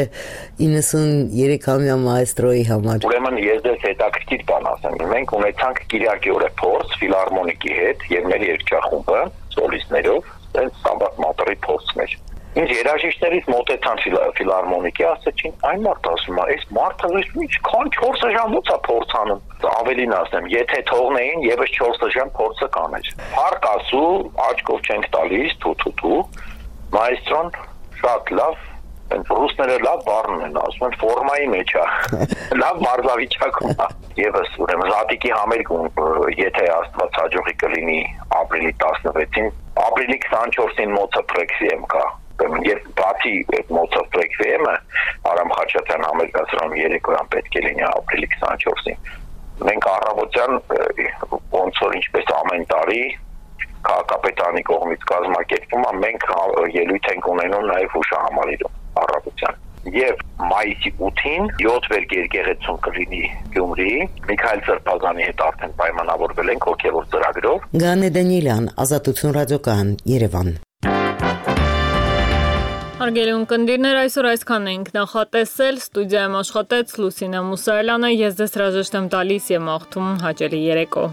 իննսուներեքամյա մայստրոյի համար։ Ուրեմն ես դες հետաքրքիր բան ասեմ։ Մենք ունեցանք Կիրակի օրը փորձ ֆիլհարմոնիկի հետ եւ մեր երգչախումբը սոլիստներով, այնց Սամբատ Մատերի փորձն էր։ Ինչ երաժիշտներից մոտեցան ֆիլհարմոնիկի, ասեցին, այն մարդ ասում է, այս մարդը ինչքան չորս ժամ ո՞ց է փորձանում։ Ավելին ասեմ, եթե թողնեին, եւս չորս ժամ փորձը կաներ։ Փառք ասու, աչքով չենք տալիս, թու-թու-թու։ Մայստրոն շատ լավ, այն ռուսները լավ բառն են ասում, ֆորմայի մեջ է։ Լավ մարզավիճակում է։ Եվս ուրեմն Զատիկի համերգ, եթե Աստված հաջողի կլինի ապրիլի տասնվեցին, ապրիլի քսանչորսին մոցը պրեքսիեմ կա։ Եվ բացի այդ մոցով պրեքվիեմը Արամ Խաչատյան համերգասրանում երեկոյան պետք է լինի ապրիլի քսանչորսին։ Մենք առավոտյան ոնց որ ինչպես ամեն տարի քաղաքապետարանի կողմից կազմակերպվում է, մենք ելույթ ենք ունենում նաև հուշահամալիրում առավոտյան։ Եվ մայիսի ութին յոթ վերք եկեղեցում կլինի Գյումրի, Միքայել Սրբազանի հետ արդեն պայմանավորվել ենք հոգևոր ծրագրով։ Գանե Դանիելյան, Ազատություն ռադիոկայան, Երևան։ Հարգելի ունկնդիրներ, այսօր այսքան ենք նախատեսել, ստուդիայում աշխատեց Լուսինե Մուսայելյանը, ես ձեզ հրաժեշտ եմ տալիս եւ մաղթում հաճելի երեկո։